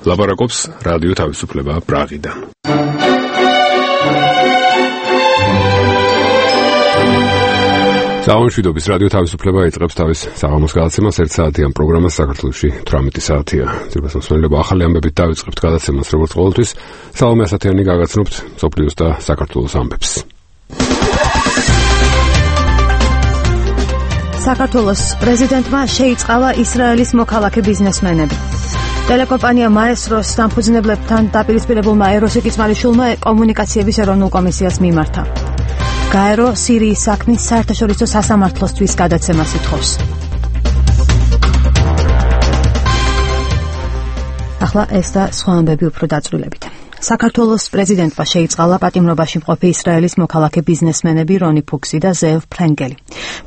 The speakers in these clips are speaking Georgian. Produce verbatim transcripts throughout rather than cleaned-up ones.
ლაპარაკობს რადიო თავისუფლება პრაღიდან. Საამშვიდობის რადიო თავისუფლება იწყებს თავის საღამოს გადაცემას ერთ საათიან პროგრამას საქართველოში თვრამეტი საათია. ძირფას მოსმენელობა ახალი ამბებით დავიწყებთ გადაცემას როგორც ყოველთვის. სალომე ასათიანი გაგაცნობთ მსოფლიოს და საქართველოს ამბებს. საქართველოს პრეზიდენტმა შეიწყალა ისრაელის მოქალაქე ბიზნესმენები. ტელეკომპანია მაესტროს დამფუძნებლებთან დაპირისპირებულმა ეროსიკ იწმარიშვილმა კომუნიკაციების ეროვნულ კომისიას მიმართა. გაერო სირიის საქმის საერთაშორისო სასამართლოსთვის გადაცემას ითხოვს. ახლა ეს და სხვა ამბები უფრო დაწვრილებით. საქართველოს პრეზიდენტმა შეიწყალა პატიმრობაში მყოფი ისრაელის მოქალაქე ბიზნესმენები რონი ფუქსი და ზევ ფრენკელი.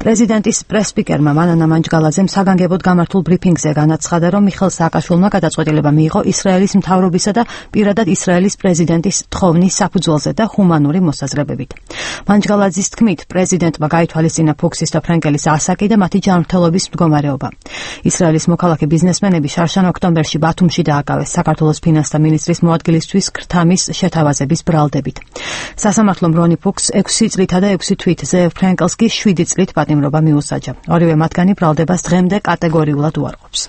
პრეზიდენტის პრესსპიკერმა მანანა მანჯგალაძემ საგანგებოდ გამართულ ბრიფინგზე განაცხადა, რომ მიხელ სააკაშვილმა გადაწყვეტილება მიიღო ისრაელის მთავრობისა და პირადად ისრაელის პრეზიდენტის თხოვნის საფუძველზე და ჰუმანური მოსაზრებებით. მანჯგალაძის თქმით, პრეზიდენტმა გაითვალისწინა ფუქსის და ფრენკელის ასაკი და მათი ჯანმრთელობის მდგომარეობა. ისრაელის მოქალაქე ბიზნესმენები შარშან ოქტომბერში ბათუმში დააკავეს საქართველოს ფინანსთა მინისტრის მოადგილისთვის თამის შეთავაზების ბრალდებით. სასამართლომ რონი ფუქს ექვსი წლითა და ექვსი თვით, ზევ ფრენკელს კი შვიდი წლით პატიმრობა მიუსაჯა. ორივე მათგანი ბრალდებას დღემდე კატეგორიულად უარყოფს.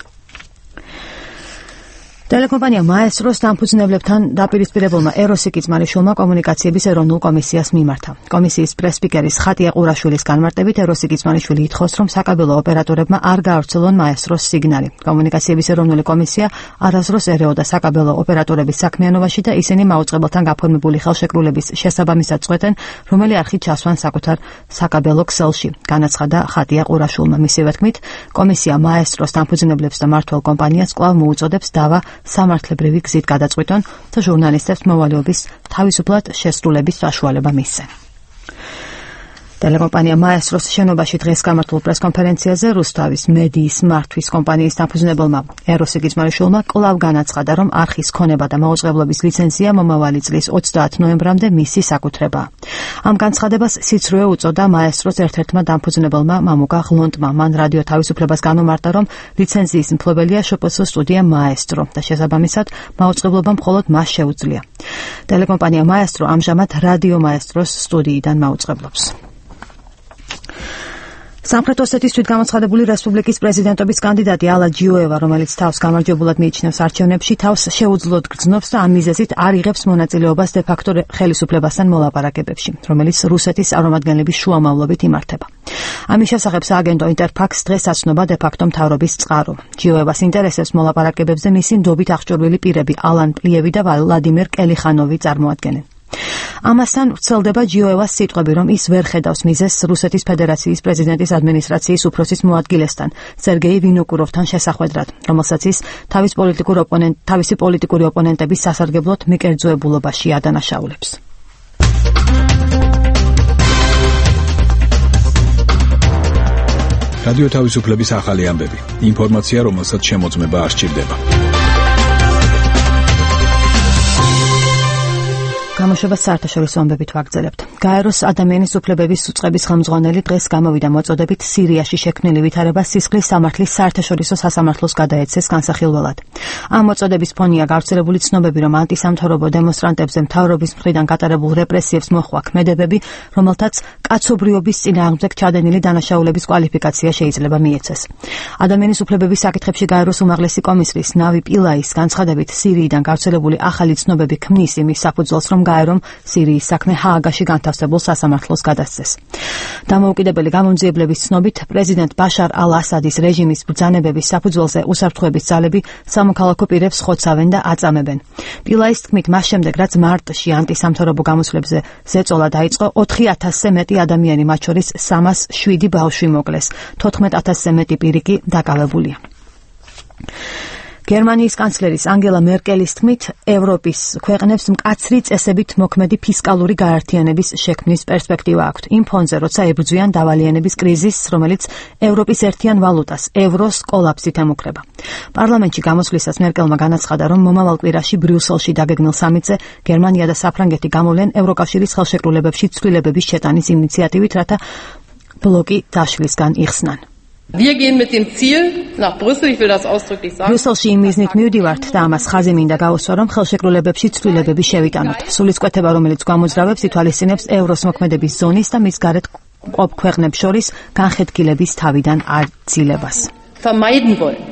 ტელეკომპანია მაესტროს დამფუძნებლებთან დაპირისპირებულმა ეროსიკ იწმარიშვილმა კომუნიკაციების ეროვნულ კომისიას მიმართა. კომისიის პრესსპიკერის ხატია ყურაშვილის განმარტებით ეროსიკ იწმარიშვილი ითხოვს, რომ საკაბელო ოპერატორებმა არ გაავრცელონ მაესტროს სიგნალი. კომუნიკაციების ეროვნული კომისია არასდროს ერეოდა საკაბელო ოპერატორების საქმიანობაში და ისინი მაუწყებელთან გაფორმებული ხელშეკრულების შესაბამისად წყვეტენ, რომელი არხი ჩასვან საკუთარ საკაბელო ქსელში. განაცხადა ხატია ყურაშვილმა. მისივე თქმით, კომისია მაესტროს დამფუძნებლებს და მმართველ კომპანიას კვლავ მოუწოდებს დავა სამართლებრივი გზით გადაწყვიტონ და ჟურნალისტებს მოვალეობის თავისუფლად შესრულების საშუალება მისცენ. ტელეკომპანია მაესტროს შენობაში დღეს გამართულ პრესკონფერენციაზე რუსთავის მედიის მართვის კომპანიის დამფუძნებელმა ეროსიკ იწმარიშვილმა კვლავ განაცხადა, რომ არხის ქონება და მაუწყებლობის ლიცენზია მომავალი წლის ოცდაათ ნოემბრამდე მისი საკუთრებაა. ამ განცხადებას სიცრუე უწოდა მაესტროს ერთ-ერთმა დამფუძნებელმა მამუკა ღლონტმა. მან რადიო თავისუფლებას განუმარტა, რომ ლიცენზიის მფლობელია შპს სტუდია მაესტრო და შესაბამისად მაუწყებლობა მხოლოდ მას შეუძლია. ტელეკომპანია მაესტრო ამჟამად რადიო მაესტროს სტუდიიდან მაუწყებლობს. სამხრეთ ოსეთის თვითგამოცხადებული რესპუბლიკის პრეზიდენტობის კანდიდატი ალა ჯიოევა, რომელიც თავს გამარჯვებულად მიიჩნევს არჩევნებში, თავს შეუძლოდ გრძნობს და ამ მიზეზით არ იღებს მონაწილეობას დე-ფაქტო ხელისუფლებასთან მოლაპარაკებებში, რომელიც რუსეთის წარმომადგენლების შუამავლობით იმართება. ამის შესახებ სააგენტო ინტერფაქს დღეს აცნობა დე-ფაქტო მთავრობის წყარო. ჯიოევას ინტერესებს მოლაპარაკებებზე მისი ნდობით აღჭურვილი პირები ალან პლიევი და ვლადიმერ კელიხანოვი წარმოადგენენ. ამასთან ვრცელდება ჯიოევას სიტყვები, რომ ის ვერ ხედავს მიზეზს რუსეთის ფედერაციის პრეზიდენტის ადმინისტრაციის უფროსის მოადგილესთან, სერგეი ვინოკუროვთან შესახვედრად, რომელსაც ის თავის პოლიტიკურ ოპონენტ, თავისი პოლიტიკური ოპონენტების სასარგებლოდ მიკერძოებულობაში ადანაშაულებს. რადიო თავისუფლების ახალი ამბები. ინფორმაცია, რომელსაც შემოწმება არ სჭირდება. გამოშვებას საერთაშორისო ამბებით ვაგრძელებთ. გაეროს ადამიანის უფლებების უწყების ხელმძღვანელი დღეს გამოვიდა მოწოდებით სირიაში შექმნილი ვითარება სისხლის სამართლის საერთაშორისო სასამართლოს გადაეცეს განსახილველად. ამ მოწოდების ფონია გავრცელებული ცნობები, რომ ანტისამთავრობო დემონსტრანტებზე მთავრობის მხრიდან გატარებულ რეპრესიებს მოჰყვა ქმედებები, რომელთაც კაცობრიობის წინააღმდეგ ჩადენილი დანაშაულების კვალიფიკაცია შეიძლება მიეცეს. ადამიანის უფლებების საკითხებში გაეროს უმაღლესი კომისრის ნავი პილაის განცხადებით, სირიიდან გავრცელებული ახალი ცნობები ქმნის იმის საფუძველს, რომ გაერომ სირიის საქმე ჰააგაში განთავსებულ სასამართლოს გადასცეს. დამოუკიდებელი გამომძიებლების ცნობით, პრეზიდენტ ბაშარ ალ-ასადის რეჟიმის ბრძანებების საფუძველზე უსაფრთხოების ძალები სამოქალაქო პირებს ხოცავენ და აწამებენ. პილაის თქმით, მას შემდეგ, რაც მარტში ანტისამთავრობო გამოსვლებზე ზეწოლა დაიწყო, ოთხი ათასზე მეტი ადამიანი, მათ შორის სამას შვიდი ბავშვი მოკლეს, თოთხმეტ ათასზე მეტი პირი კი დაკავებულია. გერმანიის კანცლერის ანგელა მერკელის თქმით, ევროპის ქვეყნებს მკაცრი წესებით მოქმედი ფისკალური გაერთიანების შექმნის პერსპექტივა აქვთ. იმ ფონზე, როცა ებრძვიან დავალიანების კრიზისს, რომელიც ევროპის ერთიან ვალუტას, ევროს კოლაფსით ემუქრება. პარლამენტში გამოსვლისას მერკელმა განაცხადა, რომ მომავალ კვირაში ბრიუსელში დაგეგმილ სამიტზე გერმანია და საფრანგეთი გამოვლენ ევროკავშირის ხელშეკრულებებში ცვლილებების შეტანის ინიციატივით, რათა ბლოკი დაშლისგან იხსნან. Wir gehen mit dem Ziel nach Brüssel, ich will das ausdrücklich sagen. Brüsselში იმ მიზნით მივდივართ და ამას ხაზი მინდა გავუსვა, რომ ხელშეკრულებებში ცვლილებები შევიტანოთ. სულისკვეთება, რომელიც გვამოძრავებს, ითვალისწინებს ევროს მოქმედების ზონის და მის გარეთ ყოფ ქვეყნებს შორის განხეთქილების თავიდან აძილებას. Vermeiden wollen.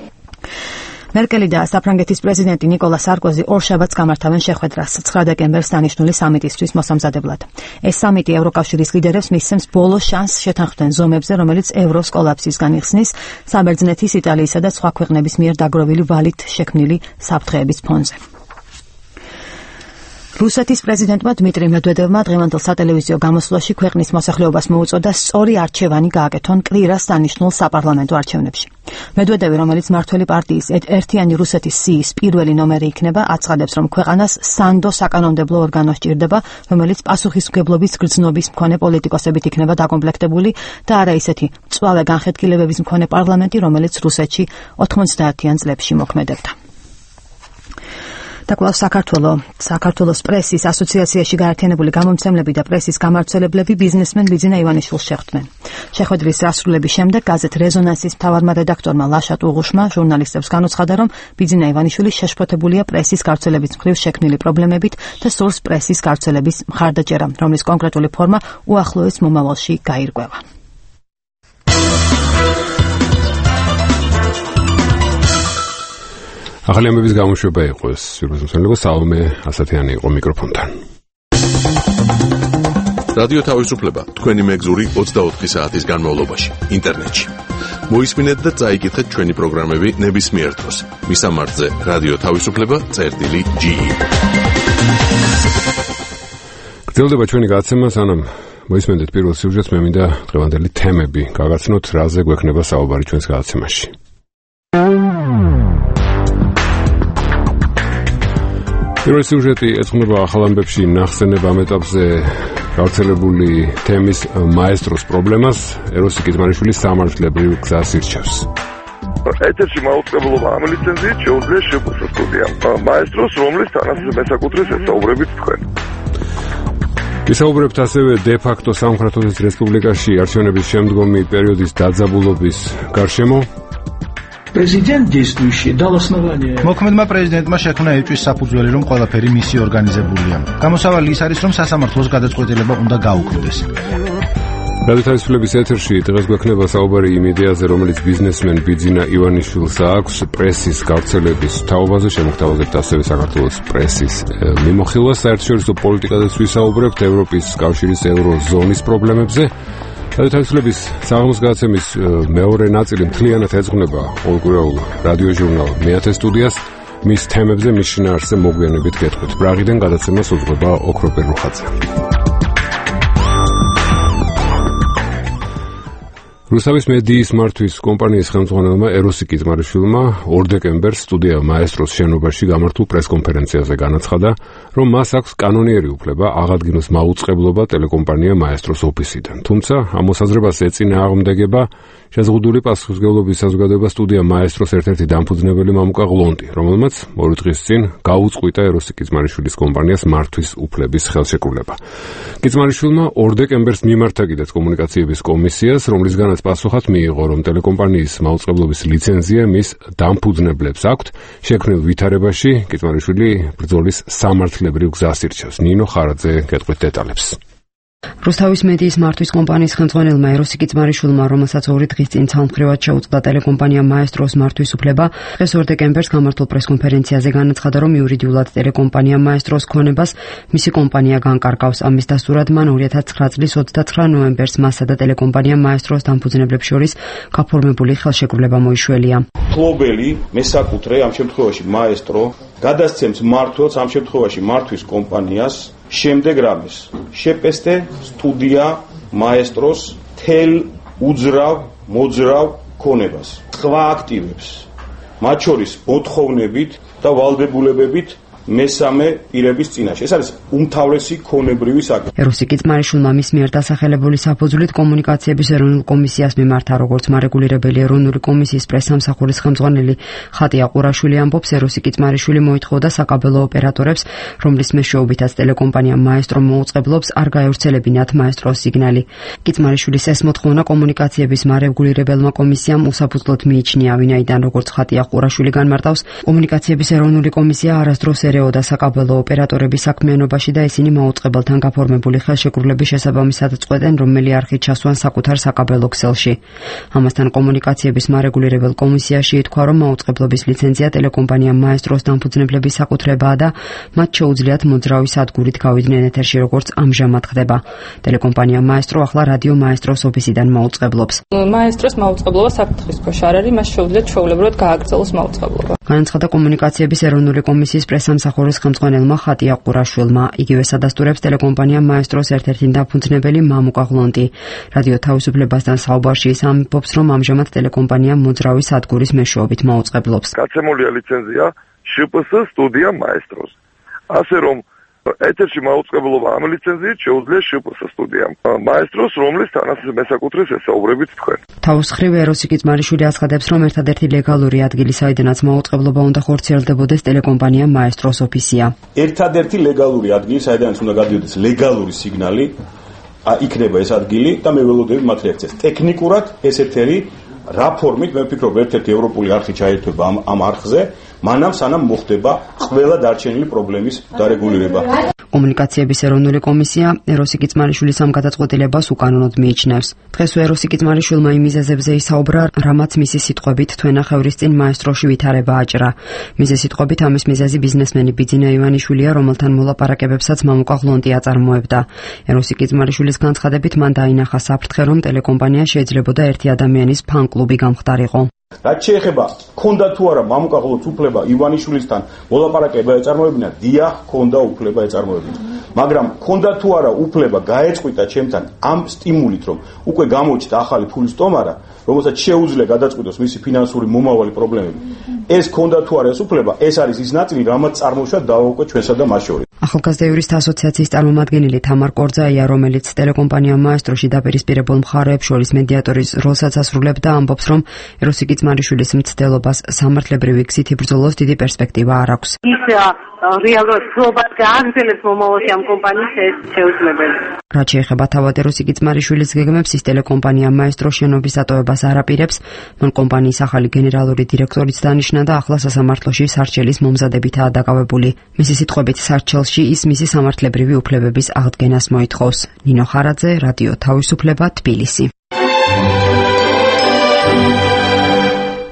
მერკელი და საფრანგეთის პრეზიდენტი ნიკოლა სარკოზი ორ შაბათს გამართავენ შეხვედრას ცხრა დეკემბერს დანიშნული სამიტისთვის მოსამზადებლად. ეს სამიტი ევროკავშირის ლიდერებს მისცემს ბოლო შანსს შეთანხმდნენ ზომებზე, რომელიც ევროს კოლაფსისგან იხსნის საბერძნეთის, იტალიისა და სხვა ქვეყნების მიერ დაგროვილი ვალით შექმნილი საფრთხეების ფონზე. რუსეთის პრეზიდენტმა დმიტრი მედვედევმა დღევანდელ სატელევიზიო გამოსვლაში ქვეყნის მოსახლეობას მოუწოდა სწორი არჩევანი გააკეთონ კვირას დანიშნულ საპარლამენტო არჩევნებში. მედვედევი, რომელიც მმართველი პარტიის ერთიანი რუსეთის სიის პირველი ნომერი იქნება, აცხადებს, რომ ქვეყანას სანდო საკანონმდებლო ორგანო სჭირდება, რომელიც პასუხისმგებლობის გრძნობის მქონე პოლიტიკოსებით იქნება დაკომპლექტებული და არა ისეთი მწვავე განხეთქილებების მქონე პარლამენტი, რომელიც რუსეთში ოთხმოცდაათიან წლებში მოქმედებდა. და კვლავ საქართველო საქართველოს პრესის ასოციაციაში გაერთიანებული გამომცემლები და პრესის გამავრცელებლები ბიზნესმენ ბიძინა ივანიშვილს შეხვდნენ. შეხვედრის დასრულების შემდეგ გაზეთ რეზონანსის მთავარმა რედაქტორმა ლაშა ტუღუშმა ჟურნალისტებს განუცხადა, რომ ბიძინა ივანიშვილი შეშფოთებულია პრესის გავრცელების მხრივ შექმნილი პრობლემებით და სურს პრესის გავრცელების მხარდაჭერა, რომლის კონკრეტული ფორმა უახლოეს მომავალში გაირკვევა. ახალი ამბების გამოშვება იყო ეს სიუჟეტი, საომე ასათიანი იყო მიკროფონთან. რადიო თავისუფლება თქვენი მეგზური ოცდაოთხი საათის განმავლობაში ინტერნეტში. მოისმინეთ და წაიკითხეთ ჩვენი პროგრამები ნებისმიერ დროს. მისამართზე რადიო თავისუფლება წერტილი ჯი. გრძელდება ჩვენი გადაცემა, სანამ მოისმენთ პირველ სიუჟეტს, მე მინდა დღევანდელი თემები გავაცნოთ, რაზე გვექნება საუბარი ჩვენს გადაცემაში. პირველი სიუჟეტი ეძღვნება ახალ ამბებში ნახსენებ ამ ეტაპზე გავრცელებული თემის მაესტროს პრობლემას. ეროსი კიზმარიშვილის სამართლებრივ გზას ირჩევს. ეთერში მაუწყებლობა ამ ლიცენზიით შეუძლია შეგვეცოს სტუდიამ მაესტროს, რომლის თანაც მესაკუთრეს ესაუბრებით თქვენ. გისაუბრებთ ასევე დე-ფაქტო სამხრეთის რესპუბლიკაში არჩევნების შემდგომი პერიოდის დაძაბულობის გარშემო. Президент действующий дал основание. მოქმედმა პრეზიდენტმა შექმნა ეჭვის საფუძველი, რომ ყველაფერი მისი ორგანიზებულია. გამოსავალი ის არის, რომ სასამართლოს გადაწყვეტილება უნდა გაუქმდეს. რადიო თავისუფლების ეთერში დღეს გვექნება საუბარი იმ იდეაზე, რომელიც ბიზნესმენ ბიძინა ივანიშვილს აქვს პრესის გავრცელების თაობაზე. შემოგთავაზებთ ასევე საქართველოს პრესის მიმოხილვას. საერთაშორისო პოლიტიკაზეც ვისაუბრებთ, ევროპის კავშირის ევროზონის პრობლემებზე. რადიო თავისუფლების საღამოს გადაცემის მეორე ნაწილი მთლიანად ეძღვნება ყოველკვირეულ რადიო ჟურნალ მეათე სტუდიას. მის თემებზე მის შინაარსზე მოგვიანებით გეტყვით. ბრაღიდან გადაცემას უძღვება ოქროპერ რუხაძე. რუსთავის მედიის მართვის კომპანიის ხელმძღვანელმა ეროსი კიზმარიშვილმა ორ დეკემბერს სტუდია მაესტროს შენობაში გამართულ პრესკონფერენციაზე განაცხადა, რომ მას აქვს კანონიერი უფლება აღადგინოს მაუწყებლობა ტელეკომპანია მაესტროს ოფისიდან. თუმცა ამ მოსაზრებას ეწინააღმდეგება შეზღუდული პასუხისმგებლობის საზოგადოება სტუდია მაესტროს ერთ-ერთი დამფუძნებელი მამუკა ღლონტი, რომელმაც ორი დღის წინ გაუწყვიტა ეროსი კიზმარიშვილის კომპანიას მართვის უფლების ხელშეკრულება. კიზმარიშვილმა ორ დეკემბერს მიმართა კიდეც კომუნიკაციების კომისიას, რომლისგანაც პასუხად მიიღო, რომ ტელეკომპანიის მაუწყებლობის ლიცენზია მის დამფუძნებლებს აქვთ. შექმნილ ვითარებაში კიზმარიშვილი ბრძოლის სამართლებრივ გზას ირჩევს. ნინო ხარაძე გეტყვით დეტალებს. რუსთავის მედიის მართვის კომპანიის ხელმძღვანელმა ეროსი კიზმარიშვილმა, რომელსაც ორი დღის წინ ცალმხრივად შეუწყდა ტელეკომპანია მაესტროს მართვის უფლება, დღეს ორ დეკემბერს გამართულ პრესკონფერენციაზე განაცხადა, რომ იურიდიულად ტელეკომპანია მაესტროს ქონებას მისი კომპანია განკარგავს. ამის დასტურად მან ორი ათას ცხრა წლის ოცდაცხრა ნოემბერს მასა და ტელეკომპანია მაესტროს დამფუძნებლებს შორის გაფორმებული ხელშეკრულება მოიშველია. მფლობელი მესაკუთრე, ამ შემთხვევაში მაესტრო, გადასცემს მმართველს, ამ შემთხვევაში მართვის კომპანიას, შემდეგ რამეს შეპესტე სტუდია მაესტროს თელ უძრავ მოძრავ ქონებას სხვა აქტივებს, მათ შორის მოთხოვნებით და ვალდებულებებით მესამე პირების წინაშე. ეს არის უმთავრესი ქონებრივი საქმე. ეროსიკ კიწმარიშვილმა მის მიერ დასახელებული საფუძვლით კომუნიკაციების ეროვნულ კომისიას მიმართა, როგორც მარეგულირებელი ეროვნული კომისიის პრესსამსახურის ხელმძღვანელი ხატია ყურაშვილი ამბობს, ეროსიკ კიწმარიშვილი მოითხოვდა საკაბელო ოპერატორებს, რომლის მეშვეობითაც ტელეკომპანია მაესტრო მოუწყებლობს, არ გაევრცელებინათ მაესტროს სიგნალი. კიწმარიშვილის ეს მოთხოვნა კომუნიკაციების მარეგულირებელმა კომისიამ უსაფუძვლოდ მიიჩნია, ვინაიდან როგორც ხატია ყურაშვილი განმარტავს, კომუნიკაციების ეროვნული კომისია არასდროს ერეოდა საკაბელო ოპერატორების საქმიანობაში და ისინი მოუწყებელთან გაფორმებული ხელშეკრულების შესაბამისად წყვეტენ, რომელი არხით ჩასვან საკუთარ საკაბელო ქსელში. ამასთან კომუნიკაციების მარეგულირებელ კომისიაში ითქვა, რომ მოუწყებლობის ლიცენზია ტელეკომპანია მაესტროს დამფუძნებლების საკუთრებაა და მათ შეუძლიათ მოძრავი სადგურით გავიდნენ ეთერში, როგორც ამჟამად ხდება. ტელეკომპანია მაესტრო ახლა რადიო მაესტროს ოფისიდან მოუწყებლობს. მაესტროს მოუწყებლობა საფრთხის ქვეშ არ არის, მას შეუძლიათ ჩვეულებრივად გააგრძელოს მოუწყებლობა. განაცხადა კომუნიკაციების ეროვნული კომისიის პრესსამსახურის ხელმძღვანელმა ხატია ყურაშვილმა. იგივე სადასტურებს ტელეკომპანია მაესტროს ერთ-ერთი დამფუძნებელი მამუკა ღლონტი. რადიო თავისუფლებასთან საუბარში ის ამბობს, რომ ამჟამად ტელეკომპანია მოძრავი სადგურის მეშვეობით მოუწყებლობს. გაცემულია ლიცენზია შპს სტუდია მაესტროს. ასე რომ ეთერში მოუწყებლობა ამ ლიცენზიით შეუძლია შპს სტუდიამ მაესტროს, რომლის თანაც მესაკუთრეს ესაუბრებით თქვენ. თავის მხრივ ეროსიკ კიწმარიშვილი აცხადებს, რომ ერთადერთი ლეგალური ადგილი, საიდანაც მოუწყებლობა უნდა ხორციელდებოდეს, ტელეკომპანია მაესტროს ოფისია. ერთადერთი ლეგალური ადგილი, საიდანაც უნდა გადიოდეს ლეგალური სიგნალი, იქნება ეს ადგილი და მე ველოდები მათ რეაქციას. ტექნიკურად ეს ეთერი რა ფორმით, მე ვფიქრობ, ერთ-ერთი ევროპული არხი ჩაერთვება ამ, ამ არხზე, მანამ სანამ მოხდება ყველა დარჩენილი პრობლემის დარეგულირება. კომუნიკაციების ეროვნული კომისია ეროსიკ კიწმარიშვილის ამ გადაწყვეტილებას უკანონოდ მიიჩნევს. დღეს ეროსიკ კიწმარიშვილმა იმ მიზეზებზე ისაუბრა, რამაც მისი სიტყვებით თვენახევრის წინ მაესტროში ვითარება აჭრა. მიზეზ სიტყვებით ამის მიზეზი ბიზნესმენი ბიძინა ივანიშვილია, რომელთან მოლაპარაკებებსაც მამუკა ღლონტი აწარმოებდა. ეროსიკ კიწმარიშვილის განცხადებით მან დაინახა საფრთხე, რომ ტელეკომპანია შეიძლებოდა ერთი ადამიანის ფან-კლუბი გამხდარიყო. რაც შეეხება ქონდა თუ არა მამუკა ღლონტს უფლება ივანიშვილისთან მოლაპარაკება ეწარმოებინა, დიახ, ქონდა უფლება ეწარმოებინა. მაგრამ ქონდა თუ არა უფლება გაეწყვიტა ჩემთან ამ სტიმულით, რომ უკვე გამოჩნდა ახალი ფულის სტომარა, რომელსაც შეუძლია გადაწყვიტოს მისი ფინანსური მომავალი პრობლემები. ეს ქონდა თუ არა ეს უფლება, ეს არის ის ნაწილი, რამაც წარმოშვა დავაუკვე ჩვენსა და მას შორის. ახალგაზრდა იურისტთა ასოციაციის წარმომადგენელი თამარ კორძაია, რომელიც ტელეკომპანია მაესტროში დაპირისპირებულ მხარეებს შორის მედიატორის როლსაც ასრულებდა, ამბობს, რომ ეროსიკ კიწმარიშვილის მცდელობას სამართლებრივი გზით იბრძოლოს დიდი პერსპექტივა არ აქვს. ის რეალურად ცდილობას გააგრძელებს მომავალში ამ კომპანიის ეს შეუძლებელი. რაც შეეხება თავად ეროსიკ კიწმარიშვილის გეგმებს, ის ტელეკომპანია მაესტრო შენობის დატოვებას არ აპირებს. მან კომპანიის ახალი გენერალური დირექტორიც დანიშნა და ახლა სასამართლოში სარჩელის მომზადებითაა დაკავებული. მისი სიტყვებით, სარჩელში ის მისი სამართლებრივი უფლებების აღდგენას მოითხოვს. ნინო ხარაძე, რადიო თავისუფლება, თბილისი.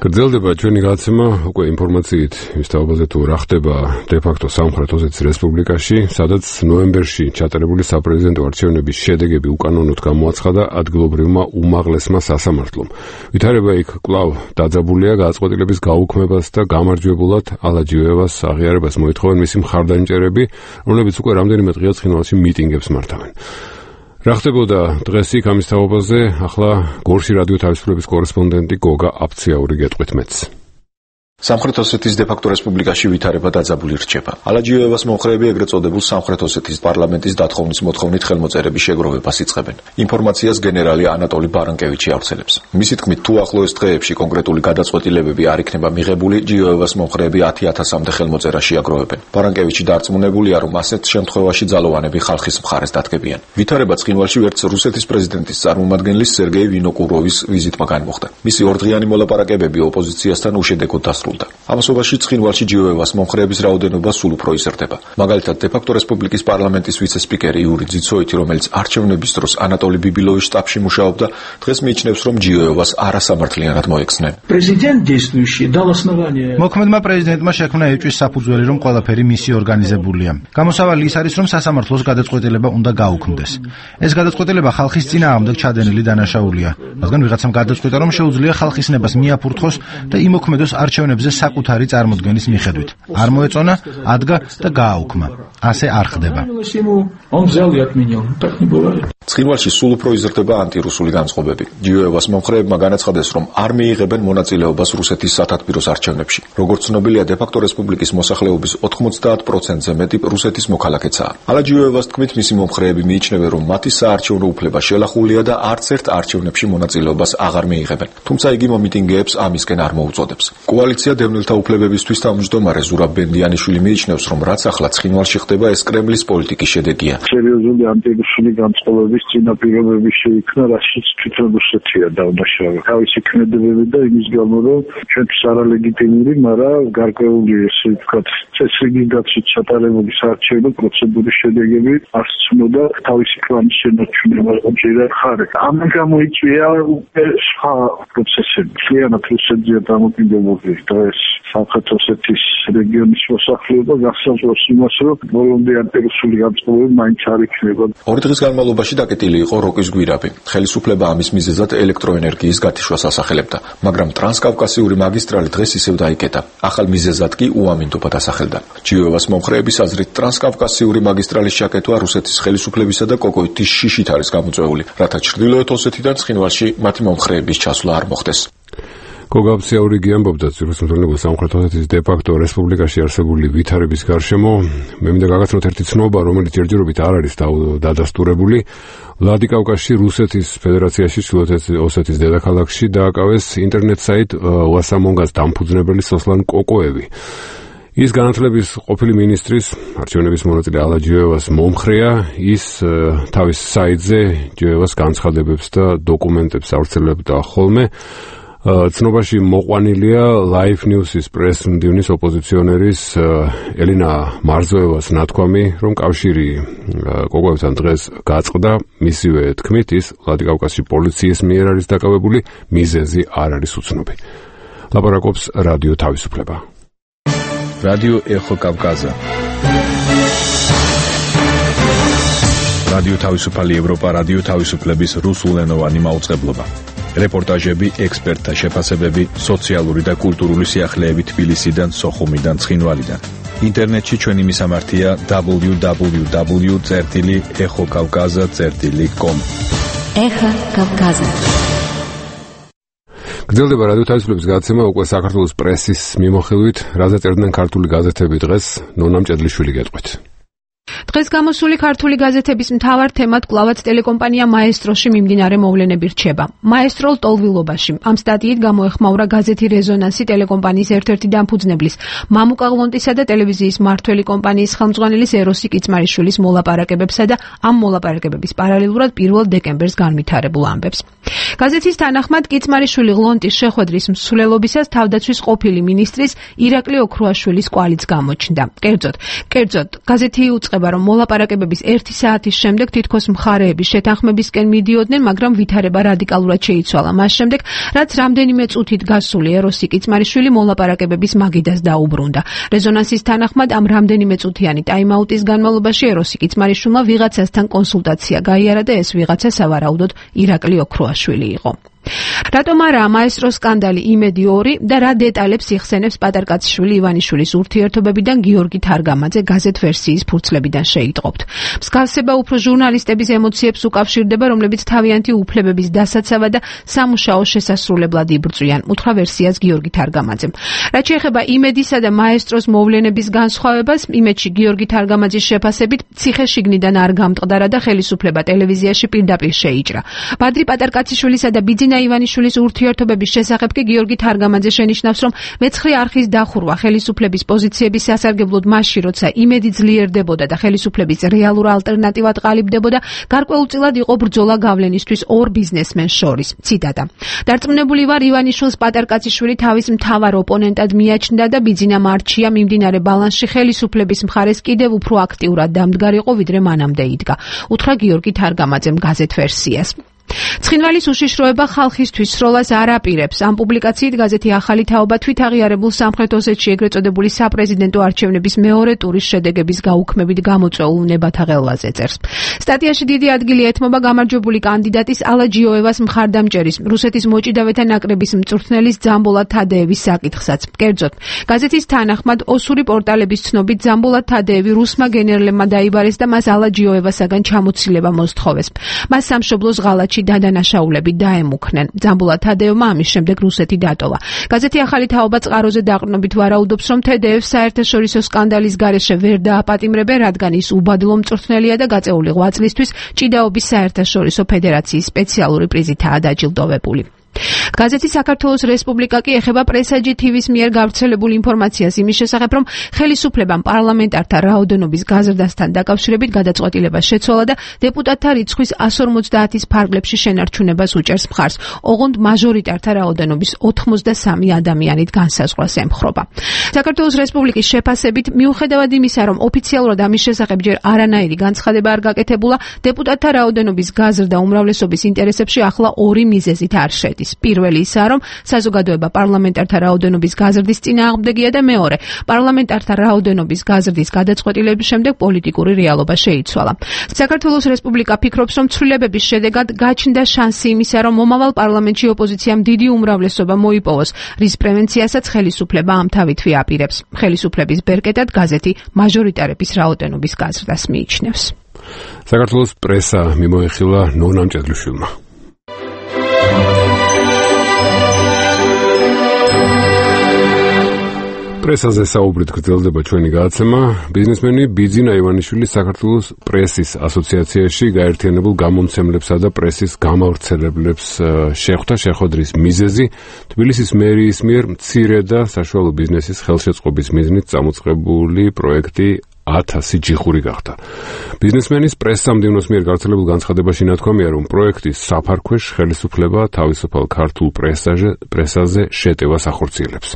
გრძელდება ჩვენი გადაცემა უკვე ინფორმაციით ის თაობაზე თუ რა ხდება დე-ფაქტო სამხრეთ ოსეთის რესპუბლიკაში, სადაც ნოემბერში ჩატარებული საპრეზიდენტო არჩევნების შედეგები უკანონოდ გამოაცხადა ადგილობრივმა უმაღლესმა სასამართლომ. ვითარება იქ კვლავ დაძაბულია, გადაწყვეტილების გაუქმებას და გამარჯვებულად ალაჯიევას აღიარებას მოითხოვენ მისი მხარდამჭერები, რომლებიც უკვე რამდენიმე დღეა ცხინვალში მიტინგებს მართავენ. რა ხდებოდა დღეს იქ ამის თაობაზე, ახლა გორში რადიო თავისუფლების კორესპონდენტი გოგა აფციაური გეტყვით მეც. სამხრეთ ოსეთის დე-ფაქტო რესპუბლიკაში ვითარება დაძაბული რჩება. ალაჯიევას მომხრეები ეგრეთ წოდებულ სამხრეთ ოსეთის პარლამენტის დათხოვნის მოთხოვნით ხელმოწერების შეგროვებას იწყებენ. ინფორმაციას გენერალი ანატოლი ბარანკევიჩი ავრცელებს. მისი თქმით, თუ ახლოეს დღეებში კონკრეტული გადაწყვეტილებები არ იქნება მიღებული, ჯიევას მომხრეები ათი ათასამდე ხელმოწერა შეაგროვებენ. ბარანკევიჩი დარწმუნებულია, რომ ასეთ შემთხვევაში ძალოვანები ხალხის მხარეს დადგებიან. ვითარება ცხინვალში ვერც რუსეთის პრეზიდენტის წარმომადგენლის სერგეი ვინოკუროვის ვიზიტმა განმოხდა. მისი ორდღიანი მოლაპარაკებები ოპოზიციასთან უშედეგოდ დასრულდა. ამასობაში ცხინვალში ჯიევას მომხრეების რაოდენობა სულ უფრო იზრდება. მაგალითად, დე-ფაქტო რესპუბლიკის პარლამენტის ვიცე-სპიკერი იური ძიცოიტი, რომელიც არჩევნების დროს ანატოლი ბიბილოვის შტაბში მუშაობდა, დღეს მიიჩნევს, რომ ჯიევას არასამართლიანად მოექცნენ. Prezident действующий дал основание. მოქმედმა პრეზიდენტმა შექმნა ეჭვის საფუძველი, რომ ყველაფერი მისი ორგანიზებულია. გამოსავალი ის არის, რომ სასამართლოს გადაწყვეტილება უნდა გაუქმდეს. ეს გადაწყვეტილება ხალხის წინააღმდეგ ჩადენილი დანაშაულია. რადგან ვიღაცამ გადაწყვიტა, რომ შეუძლია ხალხის ნებას მიაფურთხოს და იმოქმედოს არჩევნებზე მიზნებზე საკუთარი წარმოდგენის მიხედვით. არ მოეწონა, ადგა და გააუქმა. ასე არ ხდება. ცხინვალში სულ უფრო იზრდება ანტირუსული განწყობები. ჯიოევას მომხრეებმა განაცხადეს, რომ არ მიიღებენ მონაწილეობას რუსეთის სათათბიროს არჩევნებში. როგორც ცნობილია, დე-ფაქტო რესპუბლიკის მოსახლეობის ოთხმოცდაათ პროცენტზე მეტი რუსეთის მოქალაქეცაა. ალა ჯიოევას თქმით, მისი მომხრეები მიიჩნევენ, რომ მათი საარჩევნო უფლება შელახულია და არც ერთ არჩევნებში მონაწილეობას აღარ მიიღებენ. თუმცა იგი მომიტინგეებს ამისკენ არ მოუწოდებს. კოალიცია დევნილთა უფლებებისთვის თავმჯდომარე ზურაბ ბენდიანიშვილი მიიჩნევს, რომ რაც ახლა ცხინვალში ხდება, ეს კრემლის პოლიტიკის შედეგია. სერიოზული ანტირუსული განწყობების წინაპირობები შეიქმნა, რასაც თვითონ რუსეთია დაუნაშავა. თავისი ქმედებები და იმის გამო, რომ ჩვენთვის არალეგიტიმური, მაგრამ გარკვეული, ესე ვთქვათ, წესრიგის გაცვით ჩატარებული საარჩევნო პროცედურის შედეგები არ სცნოდა თავისი კლანის შენარჩუნება უჭირდა ხარ. ამან გამოიწვია უკვე სხვა პროცესები. მთლიანად რუსეთზეა დამოკიდებული დღეს სამხრეთ ოსეთის რეგიონის მოსახლეობა გახსოვს იმას, რომ ბოლომდე ანტირუსული განწყობები მაინც არ იქნება. ორი დღის განმავლობაში დაკეტილი იყო როკის გვირაბი. ხელისუფლება ამის მიზეზად ელექტროენერგიის გათიშვას ასახელებდა, მაგრამ ტრანსკავკასიური მაგისტრალი დღეს ისევ დაიკეტა. ახალ მიზეზად კი უამინდობა დასახელდა. ჯიოევას მომხრეების აზრით, ტრანსკავკასიური მაგისტრალის ჩაკეტვა რუსეთის ხელისუფლებისა და კოკოიტის შიშით არის გამოწვეული, რათა ჩრდილოეთ ოსეთიდან ცხინვალში მათი მომხრეების ჩასვლა არ მოხდეს. გოგაბციაური ამბობდა ძირითადად სამხრეთ ოსეთის დე-ფაქტო რესპუბლიკაში არსებული ვითარების გარშემო. მე მინდა გაგაცნოთ ერთი ცნობა, რომელიც ჯერჯერობით არ არის დადასტურებული. ვლადიკავკაზში რუსეთის ფედერაციაში ჩრდილოეთ ოსეთის დედაქალაქში დააკავეს ინტერნეტ საიტ უასამონგას დამფუძნებელი სოსლან კოკოევი. ის განათლების ყოფილი მინისტრის არჩევნების მონაწილე ალა ჯიოევას მომხრეა. ის თავის საიტზე ჯიოევას განცხადებებს და დოკუმენტებს ავრცელებდა ხოლმე. ცნობაში მოყვანილია Live News-ის პრეს-მდივნის ოპოზიციონერის ელინა მარზოევას ნათქვამი, რომ კავშირი კოკოევთან დღეს გაწყდა. მისივე თქმით, ის ვლადიკავკაზში პოლიციის მიერ არის დაკავებული, მიზეზი არ არის უცნობი. ლაპარაკობს რადიო თავისუფლება. რადიო ეხო კავკაზა. რადიო თავისუფალი ევროპა, რადიო თავისუფლების რუსულენოვანი მაუწყებლობა. რეპორტაჟები, ექსპერტთა შეფასებები, სოციალური და კულტურული სიახლეები თბილისიდან, სოხუმიდან, ცხინვალიდან. ინტერნეტში ჩვენი მისამართია დაბლიუ დაბლიუ დაბლიუ წერტილი ეხო კავკაზა წერტილი კომ. ეხა კავკაზა. გრძელდება რადიო თავისუფლების გადაცემა უკვე საქართველოს პრესის მიმოხილვით, რაზე წერდნენ ქართული გაზეთები დღეს. ნონა მჭედლიშვილი გეტყვით. დღეს გამოსული ქართული გაზეთების მთავარ თემად კვლავაც ტელეკომპანია მაესტროში მიმდინარე მოვლენები რჩება. მაესტრო ლტოლვილობაში. ამ სტატიით გამოეხმაურა გაზეთი რეზონანსი ტელეკომპანიის ერთ-ერთი დამფუძნებლის, მამუკა ღლონტისა და ტელევიზიის მართველი კომპანიის ხელმძღვანელის ეროსი კიცმარიშვილის მოლაპარაკებებსა და ამ მოლაპარაკებების პარალელურად პირველ დეკემბერს განვითარებულ ამბებს. გაზეთის თანახმად კიცმარიშვილი ღლონტის შეხვედრის მსვლელობისას თავდაცვის ყოფილი მინისტრის ირაკლი ოქრუაშვილის კვალიც გამოჩნდა. კერძოდ, კერძოდ გაზეთი უწყება, რომ მოლაპარაკებების ერთი საათის შემდეგ თითქოს მხარეების შეთანხმებისკენ მიდიოდნენ, მაგრამ ვითარება რადიკალურად შეიცვალა მას შემდეგ, რაც რამდენიმე წუთით გასული ეროსი კიცმარიშვილი მოლაპარაკებების მაგიდას დაუბრუნდა. რეზონანსის თანახმად ამ რამდენიმე წუთიანი ტაიმაუტის განმავლობაში ეროსი კიცმარიშვილმა ვიღაცასთან კონსულტაცია გაიარა და ეს ვიღაცა სავარაუდოდ ირაკლი ოქრუაშვილი იყო. რატომ არა მაესტროს სკანდალი იმედი ორი და რა დეტალებს იხსენებს პატარკაციშვილი ივანიშვილის ურთიერთობებიდან გიორგი თარგამაძე გაზეთ ვერსიის ფურცლებიდან შეიტყობთ. მსგავსება უფრო ჟურნალისტების ემოციებს უკავშირდება, რომლებიც თავიანთი უფლებების დასაცავად და სამუშაო შესასრულებლად იბრძვიან. უთხრა ვერსიას გიორგი თარგამაძემ. რაც შეეხება იმედისა და მაესტროს მოვლენების განსხვავებას, იმედში გიორგი თარგამაძის შეფასებით ციხე-შიგნიდან არ გამტყდარა და ხელისუფლება ტელევიზიაში პირდაპირ შეიჭრა. ბადრი პატარკაციშვილისა და ბიძინა ივანიშვილის ურთიერთობების შესახებ კი გიორგი თარგამაძე შენიშნავს, რომ მეცხრე არხის დახურვა ხელისუფლების პოზიციების სასარგებლოდ მასში, როცა იმედი ძლიერდებოდა და ხელისუფლების რეალურ ალტერნატივად ყალიბდებოდა, გარკვეულწილად იყო ბრძოლა გავლენისთვის ორ ბიზნესმენს შორის. ციტატა. დარწმუნებული ვარ, ივანიშვილს პატარკაციშვილი თავის მთავარ ოპონენტად მიაჩნდა და ბიძინა მარჩია მიმდინარე ბალანსში ხელისუფლების მხარეს კიდევ უფრო აქტიურად დამდგარიყო, ვიდრე მანამდე იდგა. უთხრა გიორგი თარგამაძემ გაზეთ ვერსიას. ცხინვალის უშიშროება ხალხისთვის სროლას არ აპირებს. ამ პუბლიკაციით გაზეთი ახალი თაობა თვით აღიარებულ სამხრეთ ოსეთში ეგრეთ წოდებული საპრეზიდენტო არჩევნების მეორე ტურის შედეგების გაუქმებით გამოწვეულ ნებათა ღელვაზე წერს. სტატიაში დიდი ადგილი ეთმობა გამარჯვებული კანდიდატის ალა ჯიოევას მხარდამჭერის, რუსეთის მოჭიდავეთა ნაკრების მწვრთნელის ძამბოლა თადეევის საკითხსაც. კერძოდ, გაზეთის თანახმად ოსური პორტალების ცნობით ძამბოლა თადეევი რუსმა გენერლებმა დაიბარეს და მას ალა ჯიოევასაგან ჩამოცილება მოსთხოვეს. მას სამშობლოს ღალატში დადანაშაულები დაემუქნენ. ძამბოლა თადეევმა ამის შემდეგ რუსეთი დატოვა. გაზეთი ახალი თაობა წყაროზე დაყრდნობით ვარაუდობს, რომ თედეევს საერთაშორისო სკანდალის გარეშე ვერ დააპატიმრებენ, რადგან ის უბადლო მწვრთნელია და გაწეული ღვაწლისთვის ჭიდაობის საერთაშორისო ფედერაციის სპეციალური პრიზითაა დაჯილდოვებული. გაზეთი საქართველოს რესპუბლიკა კი ეხება პრესაჯი თივის მიერ გავრცელებულ ინფორმაციას იმის შესახებ, რომ ხელისუფლებამ პარლამენტართა რაოდენობის გაზრდასთან დაკავშირებით გადაწყვეტილებას შეცვალა და დეპუტატთა რიცხვის εκατს ორმოცდაათის ფარგლებში შენარჩუნებას უჭერს მხარს. ოღონდ მაჟორიტართა რაოდენობის ოთხმოცდასამი ადამიანით განსაზღვრას ემხრობა. საქართველოს რესპუბლიკის შეფასებით, მიუხედავად იმისა, რომ ოფიციალურად ამის შესახებ ჯერ არანაირი განცხადება არ გაკეთებულა, დეპუტატთა რაოდენობის გაზრდა უმრავლესობის ინტერესებში ახლა ორი მიზეზით არ შედის. პირველი ისაა, რომ საზოგადოება პარლამენტართა რაოდენობის გაზრდის წინააღმდეგია და მეორე, პარლამენტართა რაოდენობის გაზრდის გადაწყვეტილების შემდეგ პოლიტიკური რეალობა შეიცვალა. საქართველოს რესპუბლიკა ფიქრობს, რომ ცვლილებების შედეგად გაჩნდა შანსი იმისა, რომ მომავალ პარლამენტში ოპოზიციამ დიდი უმრავლესობა მოიპოვოს, რის პრევენციასაც ხელისუფლება ამ თავითვე აპირებს. ხელისუფლების ბერკეტად გაზეთი მაჟორიტარების რაოდენობის გაზრდას მიიჩნევს. საქართველოს პრესა მიმოეხილა ნონამ ჭედლიშვილმა. პრესაზე საუბრით გრძელდება ჩვენი გადაცემა. ბიზნესმენი ბიძინა ივანიშვილი საქართველოს პრესის ასოციაციაში გაერთიანებულ გამომცემლებსა და პრესის გამავრცელებლებს შეხვდა. შეხვედრის მიზეზი თბილისის მერიის მიერ მცირე და საშუალო ბიზნესის ხელშეწყობის მიზნით წამოწყებული პროექტი ათასი ჯიხური გახდა. ბიზნესმენის პრესსამდივნოს მიერ გავრცელებულ განცხადებაში ნათქვამია, რომ პროექტის საფარქვეშ ხელისუფლება თავისუფალ ქართულ პრესაზე პრესაზე შეტევას ახორციელებს.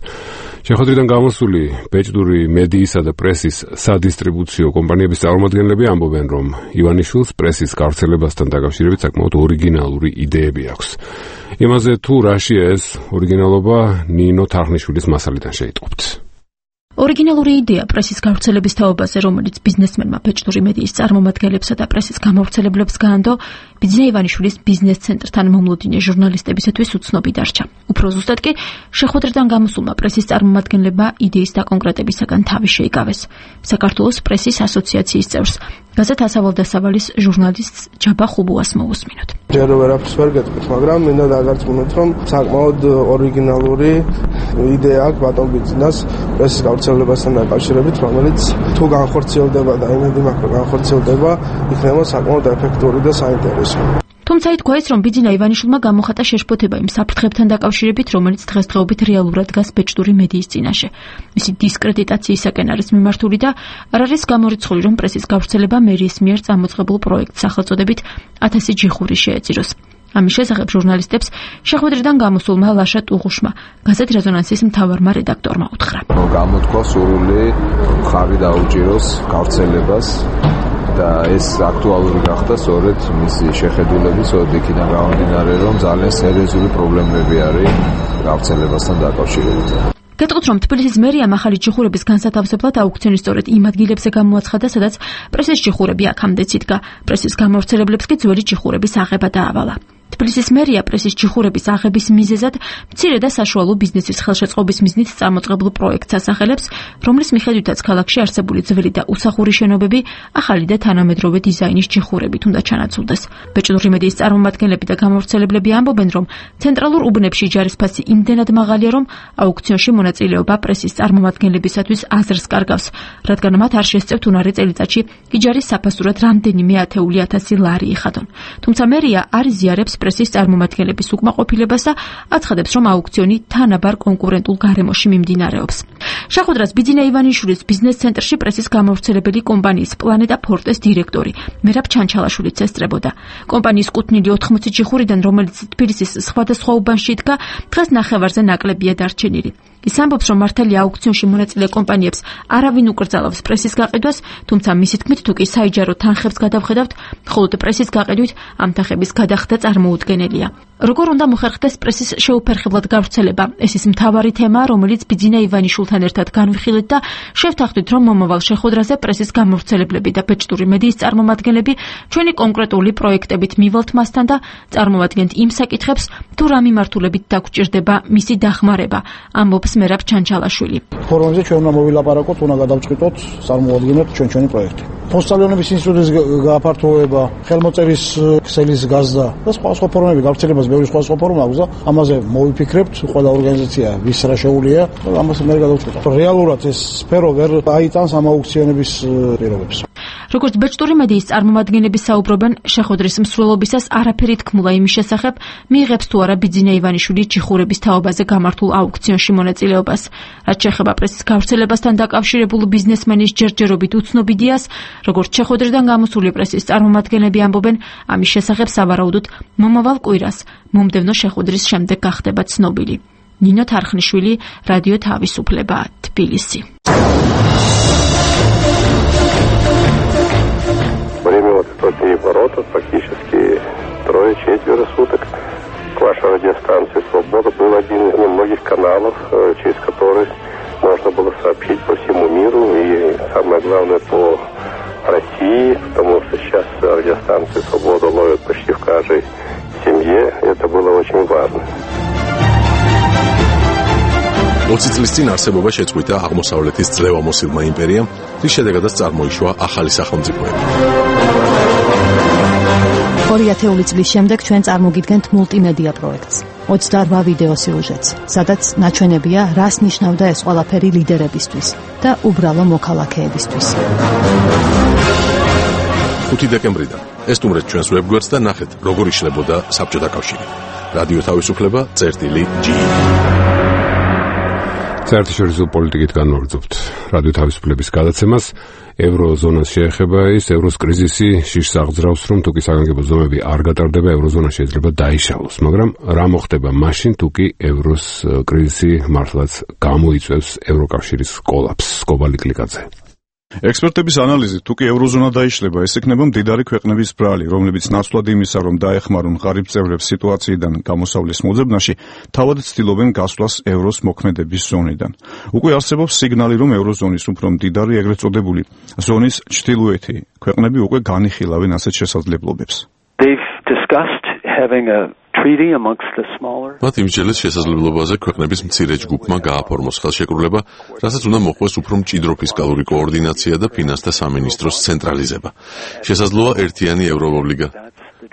შეხვედრიდან გამოსული ბეჭდური მედიისა და პრესის სადისტრიბუციო კომპანიების წარმომადგენლები ამბობენ, რომ ივანიშვილს პრესის გავრცელებასთან დაკავშირებით საკმაოდ ორიგინალური იდეები აქვს. იმაზე თუ რაშია ეს ორიგინალობა, ნინო თარხნიშვილის მასალიდან შეიტყობთ. ორიგინალური იდეა პრესის გავრცელების თაობაზე, რომელიც ბიზნესმენმა ბეჭდური მედიის წარმომადგენლებსა და პრესის გამავრცელებლებს გაანდო, ბიძინა ივანიშვილის ბიზნეს ცენტრთან მომლოდინე ჟურნალისტებისათვის უცნობი დარჩა. უფრო ზუსტად კი, შეხვედრიდან გამოსულმა პრესის წარმომადგენლებმა იდეის დაკონკრეტებისაგან თავი შეიკავეს. საქართველოს პრესის ასოციაციის წევრს, გაზეთ ასავალ-დასავალის ჟურნალისტს ჯაბა ხუბუას მოусმინოთ. ჯერ ვერაფერს ვერ გეტყვით, მაგრამ მინდა დაგარწმუნოთ, რომ საკმაოდ ორიგინალური იდეა აქვს ბატონ ბიძინას პრესის გავრცელებასთან დაკავშირებით, რომელიც თუ განხორციელდება და იმედი მაქვს, რომ განხორციელდება, იქნება საკმაოდ ეფექტური და საინტერესო. თუმცა ითქვა ის, რომ ბიძინა ივანიშვილმა გამოხატა შეშფოთება იმ საფრთხებთან დაკავშირებით, რომელიც დღესდღეობით რეალურად დგას ბეჭდური მედიის წინაშე. მისი დისკრედიტაციისაკენ არის მიმართული და არ არის გამორიცხული, რომ პრესის გავრცელება მერიის მიერ წამოწყებულ პროექტს სახელწოდებით ათასი ჯიხური შეეწიროს. ამის შესახებ ჟურნალისტებს შეხვედრიდან გამოსულმა ლაშა ტუღუშმა, გაზეთ რეზონანსის მთავარმა რედაქტორმა უთხრა. გამოთქვა სურვილი ხარი დაუჭიროს გავრცელებას და ეს აქტუალური გახდა სწორედ მისი შეხედულების ოდიქიდან გამომდინარე, რომ ძალიან სერიოზული პრობლემები არის გავრცელებასთან დაკავშირებით. გეტყვით, რომ თბილისის მერიამ ახალი ჯიხურების განსათავსებლად აუქციონი სწორედ იმ ადგილებზე გამოაცხადა, სადაც პრესის ჯიხურები აქამდეც იდგა. პრესის გამავრცელებლებს კი ძველი ჯიხურების აღება დაავალა. თბილისის მერია პრესის ჯიხურების აღების მიზეზად მცირე და საშუალო ბიზნესის ხელშეწყობის მიზნით წამოწყებულ პროექტს ასახელებს, რომლის მიხედვითაც ქალაქში არსებული ძველი და უსახური შენობები ახალი და თანამედროვე დიზაინის ჯიხურებით უნდა ჩანაცვლდეს. ბეჭდური მედიის წარმომადგენლები და გამავრცელებლები ამბობენ, რომ ცენტრალურ უბნებში ჯარისფასი იმდენად მაღალია, რომ აუქციონში მონაწილეობა პრესის წარმომადგენლებისათვის აზრს კარგავს, რადგან მათ არ შესწევთ უნარი წელიწადში იჯარის საფასურად რამდენიმე ათეული ათასი ლარი იხადონ. თუმცა მერია არ იზიარებს პრესის წარმომადგენლების უკმაყოფილებას და აცხადებს, რომ აუქციონი თანაბარ კონკურენტულ გარემოში მიმდინარეობს. შეხვედრას ბიძინა ივანიშვილის ბიზნეს ცენტრში პრესის გამავრცელებელი კომპანიის პლანეტა ფორტეს დირექტორი მერაბ ჩანჩალაშვილიც ესწრებოდა. კომპანიის კუთვნილი ოთხმოცი ჯიხურიდან, რომელიც თბილისის სხვადასხვა უბანში იდგა, დღეს ნახევარზე ნაკლებია დარჩენილი. ის ამბობს, რომ მართალია აუქციონში მონაწილე კომპანიებს არავინ უკრძალავს პრესის გაყიდვას, თუმცა მისი თქმით, თუ კი საიჯარო თანხებს გადავხედავთ, მხოლოდ პრესის გაყიდვით ამ თანხების გადახდა წარმოუდგენელია. როგორ უნდა მოხერხდეს პრესის შეუფერხებლად გავრცელება? ეს ის მთავარი თემაა, რომელიც ბიძინა ივანიშვილთან ერთად განვიხილეთ და შევთანხმდით, რომ მომავალ შეხვედრაზე პრესის გამავრცელებლები და ბეჭდური მედიის წარმომადგენლები ჩვენი კონკრეტული პროექტებით მივალთ მასთან და წარმოვადგენთ იმ საკითხებს, თუ რა მიმართულებით დაგვჭირდება მისი დახმარება, ამბობს მერაბ ჩანჩალაშვილი. ფორუმზე ჩვენ უნდა მოვილაპარაკოთ, უნდა გადავწყვიტოთ, წარმოვადგინოთ ჩვენ ჩვენი პროექტი. მოსწავლეობის ინსტიტუტის გააფართოვება, ხელმოწერის ქსელის გაზრდა და სხვა სხვა ფორუმები გავრცელებას ბევრი სხვა სხვა ფორუმი აქვს და ამაზე მოვიფიქრებთ, ყველა ორგანიზაცია ვის რა შეუულია და ამას მე გადავწყვიტოთ. რეალურად ეს სფერო ვერ აიტანს ამ აუქციონების პირობებს. როგორც ბეჭდური მედიის წარმომადგენლები საუბრობენ, შეხვედრის მსვლელობისას არაფერი თქმულა იმის შესახებ, მიიღებს თუ არა ბიძინა ივანიშვილი ჯიხურების თაობაზე გამართულ აუქციონში მონაწილეობას. რაც შეეხება პრესის გავრცელებასთან დაკავშირებულ ბიზნესმენის ჯერჯერობით უცნობ იდეას, როგორც შეხვედრიდან გამოსული პრესის წარმომადგენლები ამბობენ, ამის შესახებ სავარაუდოდ მომავალ კვირას, მომდევნო შეხვედრის შემდეგ გახდება цნობილი. ნინო თარხნიშვილი, რადიო თავისუფლება, თბილისი. Время вот тут не ворота, практически трое-четверо суток. Ваша радиостанция «Свобода» был один из немногих каналов, через который можно было сообщить по всему миру и, самое главное, по России, потому что сейчас радиостанция «Свобода» ловят почти в каждой семье. Это было очень важно. ოცი წლის წინ არსებობა შეწყვიტა აღმოსავლეთის ძლევამოსილმა იმპერიამ, რის შედეგადაც წარმოიშვა ახალი სახელმწიფოები. ორი ათეული წლის შემდეგ ჩვენ წარმოგიდგენთ მულტიმედია პროექტს, ოცდაორ ვიდეო სიუჟეტს, სადაც ნაჩვენებია, რას ნიშნავდა ეს ყველაფერი ლიდერებისთვის და უბრალო მოქალაქეებისთვის. ხუთი დეკემბრიდან ესტუმრეთ ჩვენს ვებგვერდს და ნახეთ, როგორ იშლებოდა საბჭოთა კავშირი. რადიო თავისუფლება, წერტილი ჯი. საერთაშორისო პოლიტიკით განვაგრძობთ რადიო თავისუფლების გადაცემას. ევროზონას შეეხება ის ევროს კრიზისი შიშს აღძრავს, რომ თუკი საგანგებო ზომები არ გატარდება, ევროზონა შეიძლება დაიშალოს, მაგრამ რა მოხდება მაშინ, თუკი ევროს კრიზისი მართლაც გამოიწვევს ევროკავშირის კოლაფსს? კობალი კლიკაძე. ექსპერტების ანალიზით, თუკი ევროზონა დაიშლება, ეს იქნება მდიდარი ქვეყნების ბრალი, რომლებიც ნაცვლად იმისა, რომ დაეხმარონ ღარიბ წევრებს სიტუაციიდან გამოსავლის მოძებნაში, თავად ცდილობენ გასვლას ევროს მოქმედების ზონიდან. უკვე არსებობს სიგნალი, რომ ევროზონის უფრო მდიდარი, ეგრეთ წოდებული ზონის ჩრდილოეთი ქვეყნები უკვე განიხილავენ ასეთ შესაძლებლობებს. They've discussed having a treaty amongst the smaller. მათ იმჯერეს შესაძლებლობაზე ქვეყნების მცირე ჯგუფმა გააფორმოს ხელშეკრულება, რასაც უნდა მოხდეს უფრო მჭიდრო ფისკალური კოორდინაცია და ფინანსთა სამინისტროს ცენტრალიზება. შესაძლოა ერთიანი ევროობლიგა.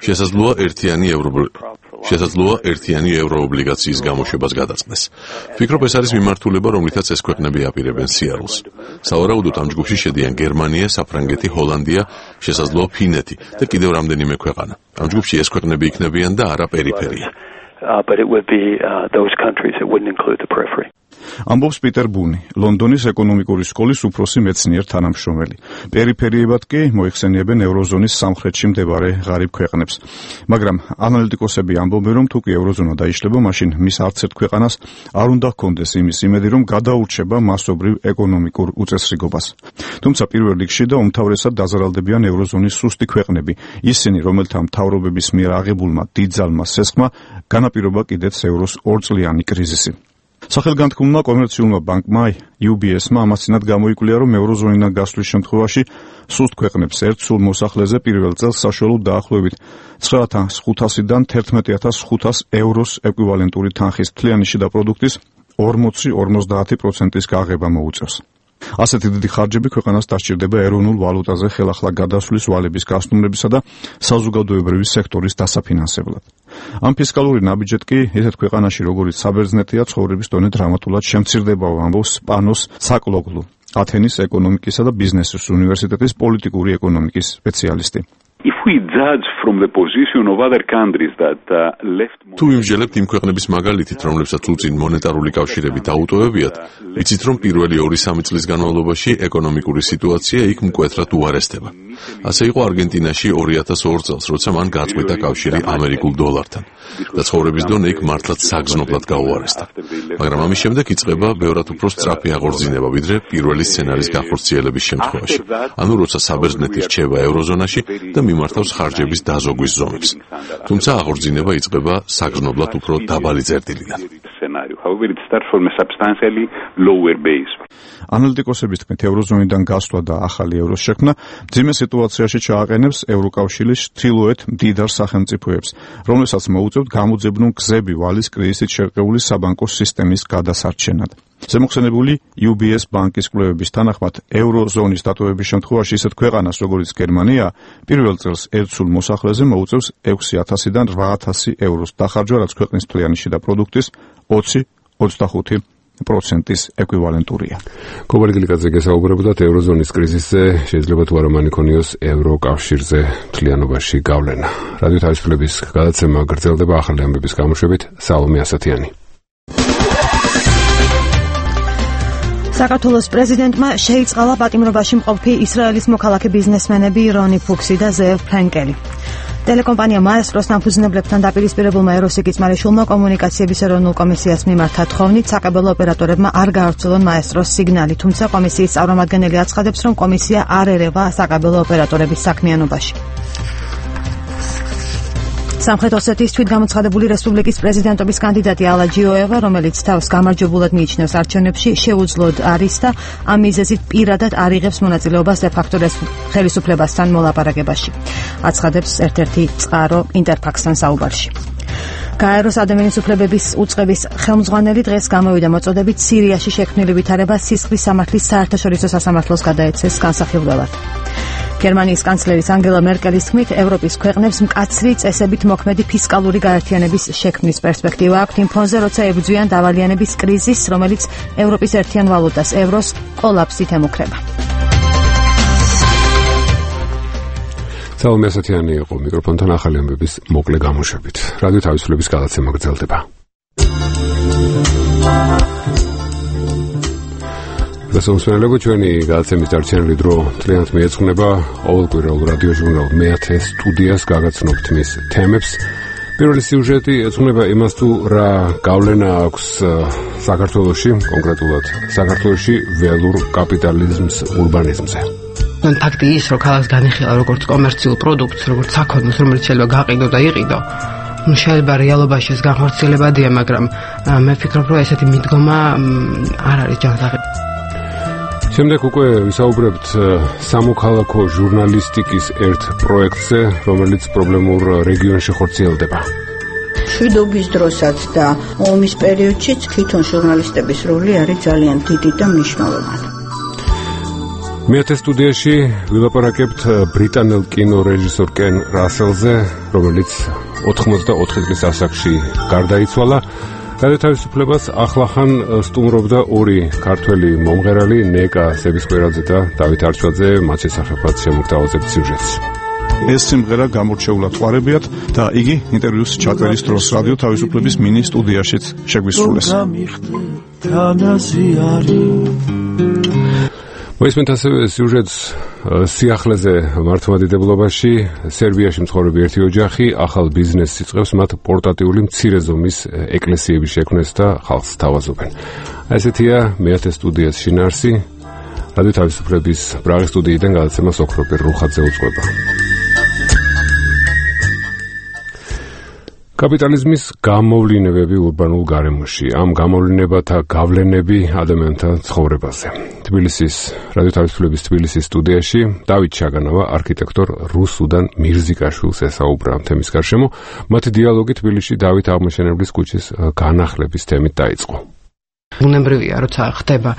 შესაძლოა ერთიანი ევროობლიგა. შესაძლოა ერთიანი ევროობლიგაციის გამოშვებას გადაწყდეს. ვფიქრობ, ეს არის მიმართულება, რომლითაც ეს ქვეყნები აპირებენ სიარულს. სავარაუდოდ ამ ჯგუფში შედიან გერმანია, საფრანგეთი, ჰოლანდია, შესაძლოა ფინეთი და კიდევ რამდენიმე ქვეყანა. ამ ჯგუფში ეს ქვეყნები იქნებიან და არა პერიფერია. Uh, but it would be uh, those countries that wouldn't include the periphery. ამბობს პიტერ ბუნი, ლონდონის ეკონომიკური სკოლის უფროსი მეცნიერ თანამშრომელი. პერიფერიებად კი მოიხსენიებენ ევროზონის სამხრეთში მდებარე ღარიბ ქვეყნებს. მაგრამ ანალიტიკოსები ამბობენ, რომ თუკი ევროზონა დაიშლება, მაშინ მის არც ერთ ქვეყანას არ უნდა ჰქონდეს იმის იმედი, რომ გადაურჩება მასობრივ ეკონომიკურ უწესრიგობას. თუმცა პირველ რიგში და უმთავრესად დაზარალდებიან ევროზონის სუსტი ქვეყნები, ისინი, რომელთა მთავრობების მიერ აღებულმა დიდძალმა სესხმა განაპირობა კიდეც ევროს ორწლიანი კრიზისი. სახელგანთქმულმა კომერციულმა ბანკმა იუ ბი ეს-მა ამასთანავ გამოიკვლია, რომ ევროზონიდან გასვლის შემთხვევაში სუსტ ქვეყნებს ერთ სულ მოსახლეზე პირველ წელს საშუალოდ დაახლოებით ცხრა ათას ხუთასიდან თერთმეტი ათას ხუთას ევროს ეკვივალენტური თანხის თლიანი შიდა პროდუქტის ორმოცი ორმოცდაათი პროცენტის გაღება მოუწევს. ასეთი დიდი ხარჯები ქვეყანას დასჭირდება ეროვნულ ვალუტაზე ხელახლა გადასვლის ვალების გასტუმრებისა და საზოგადოებრივი სექტორის დასაფინანსებლად. ამ ფისკალური ნაბიჯეთ კი ესეთ ქვეყანაში, როგორც საბერძნეთია, ცხოვრების დონე დრამატულად შემცირდებაო, ამბობს პანოს საკლოგლუ, ათენის ეკონომიკისა და ბიზნესის უნივერსიტეტის პოლიტიკური ეკონომიკის სპეციალისტი. If we judge from the position of other countries that uh, left თუ ვიმსჯელებთ იმ ქვეყნების მაგალითით, რომლებსაც უწინ მონეტარული კავშირები დაუტოვებიათ, ვიცით რომ პირველი ორი-სამი წლის განმავლობაში ეკონომიკური სიტუაცია იქ მკვეთრად უარესდება. ასე იყო არგენტინაში ორი ათას ორ წელს, როცა მან გაწყვიტა კავშირი ამერიკულ დოლართან და ცხოვრების დონე იქ მართლაც საგრძნობლად გაუარესდა. მაგრამ ამის შემდეგ იწყება ბევრად უფრო სწრაფი აღორძინება, ვიდრე პირველი სცენარის გახორციელების შემთხვევაში. ანუ როცა საბერძნეთი რჩება ევროზონაში და მიმართავს ხარჯების დაზოგვის ზომებს. თუმცა აღორძინება იწყება საგრძნობლად უფრო დაბალი წერტილიდან. However, it starts from a substantially lower base. ანალიტიკოსების თქმით, ევროზონიდან გასვლა და ახალი ევროს შექმნა ძიმე სიტუაციაში ჩააყენებს ევროკავშირის ჩრდილოეთ მდიდარ სახელმწიფოებს, რომლებსაც მოუწევთ გამოძებნულ გზები ვალის კრიზისით შერყეული საბანკო სისტემის გადასარჩენად. ზემოხსენებული იუ ბი ეს ბანკის კვლევების თანახმად, ევროზონის დატოვების შემთხვევაში ისეთ ქვეყანას, როგორც გერმანია, პირველ წელს ერთ სულ მოსახლეზე მოუწევს ექვსი ათასიდან რვა ათასი ევროს დახარჯვა, რაც ქვეყნის მთლიანი შიდა პროდუქტის ოცი ოცდახუთი პროცენტის ეკვივალენტურია. კობალი გლიკაძე გესაუბრებოდათ ევროზონის კრიზისზე, შეიძლება თუ არა მან იქონიოს ევროკავშირზე მთლიანობაში გავლენა. რადიო თავისუფლების გადაცემა გრძელდება ახალი ამბების გამოშვებით, სალომე ასათიანი. საქართველოს პრეზიდენტმა შეიწყალა პატიმრობაში მყოფი ისრაელის მოქალაქე ბიზნესმენები რონი ფუქსი და ზეევ ფრენკელი. ტელეკომპანია მაესტროს დამფუძნებლებთან დაპირისპირებულმა ეროსი კიწმარიშვილმა კომუნიკაციების ეროვნულ კომისიას მიმართა თხოვნით საკაბელო ოპერატორებმა არ გაავრცელონ მაესტროს სიგნალი, თუმცა კომისიის წარმომადგენელი აცხადებს, რომ კომისია არ ერევა საკაბელო ოპერატორების საქმიანობაში. სამხრეთ ოსეთის თვითგამოცხადებული რესპუბლიკის პრეზიდენტობის კანდიდატი ალა ჯიოევა, რომელიც თავს გამარჯვებულად მიიჩნევს არჩევნებში, შეუძლოდ არის და ამ მიზეზით პირადად არ იღებს მონაწილეობას დე-ფაქტო ხელისუფლებასთან მოლაპარაკებაში. აცხადებს ერთ-ერთი წყარო ინტერფაქსთან საუბარში. გაეროს ადამიანის უფლებების უწყების ხელმძღვანელი დღეს გამოვიდა მოწოდებით სირიაში შექმნილი ვითარება სისხლის სამართლის საერთაშორისო სასამართლოს გადაეცეს განსახილველად. გერმანიის კანცლერის ანგელა მერკელის თქმით, ევროპის ქვეყნებს მკაცრი წესებით მოქმედი ფისკალური გაერთიანების შექმნის პერსპექტივა აქვთ იმ ფონზე, როცა ებრძვიან დავალიანების კრიზისს, რომელიც ევროპის ერთიან ვალუტას ევროს კოლაფსით ემუქრება. სალომე ასათიანი იყო მიკროფონთან ახალი ამბების მოკლე გამოშვებით. რადიო თავისუფლების გადაცემა გრძელდება. გასაუბრებელო ჩვენი გადაცემის დარჩენილი დრო მთლიანად მიეძღვნება ყოველკვირეულ რადიო ჟურნალ მეათე სტუდიას გაგაცნობთ მის თემებს. პირველი სიუჟეტი ეძღვნება იმას, თუ რა გავლენა აქვს საქართველოში, კონკრეტულად საქართველოში ველურ კაპიტალიზმს ურბანიზმზე. ფაქტი ის, რომ ქალაქს განიხილა როგორც კომერციულ პროდუქტს, როგორც საქონელს, რომელიც შეიძლება გაყიდო და იყიდო. ნუ შეიძლება რეალობაში ეს განხორციელებადია, მაგრამ მე ვფიქრობ, რომ ესეთი მიდგომა არ არის ჯანსაღები. შემდეგ უკვე ვისაუბრებთ სამოქალაქო ჟურნალისტიკის ერთ პროექტზე, რომელიც პრობლემურ რეგიონში ხორციელდება. მშვიდობის დროსაც და ომის პერიოდშიც თვითონ ჟურნალისტების როლი არის ძალიან დიდი და მნიშვნელოვანი. მეათე სტუდიაში ვილაპარაკებთ ბრიტანელ კინორეჟისორ კენ რასელზე, რომელიც ოთხმოცდაოთხი წლის ასაკში გარდაიცვალა. რადიო თავისუფლებას ახლახან სტუმრობდა ორი ქართველი მომღერალი, ნეკა სებისკვერაძე და დავით არჩვაძე, მათ შესახებაც შემოგთავაზებთ სიუჟეტს. ეს სიმღერა გამორჩეულად ყვარებიათ და იგი ინტერვიუს ჩაწერის დროს რადიო თავისუფლების მინი სტუდიაშიც შეგვისრულეს. მოისმენთ ასევე სიუჟეტს სიახლეზე მართლმადიდებლობაში, სერბიაში მცხოვრები ერთი ოჯახი ახალ ბიზნესს იწყებს, მათ პორტატიული მცირე ზომის ეკლესიების შექმნას და ხალხს თავაზობენ. ესეთია მეათე სტუდიას შინაარსი. რადიო თავისუფლების პრაღის სტუდიიდან გადაცემას ოქროპერ რუხაძე უწყება. კაპიტალიზმის გამოვლინებები ურბანულ გარემოში, ამ გამოვლინებათა გავლენები ადამიანთა ცხოვრებაზე. თბილისის რადიო თავისუფლების თბილისის სტუდიაში დავით ჩაგანავა არქიტექტორ რუსუდან მირზიკაშვილს ესაუბრა ამ თემის გარშემო. მათი დიალოგი თბილისში დავით აღმაშენებლის ქუჩის განახლების თემით დაიწყო. უნებრივია, როცა ხდება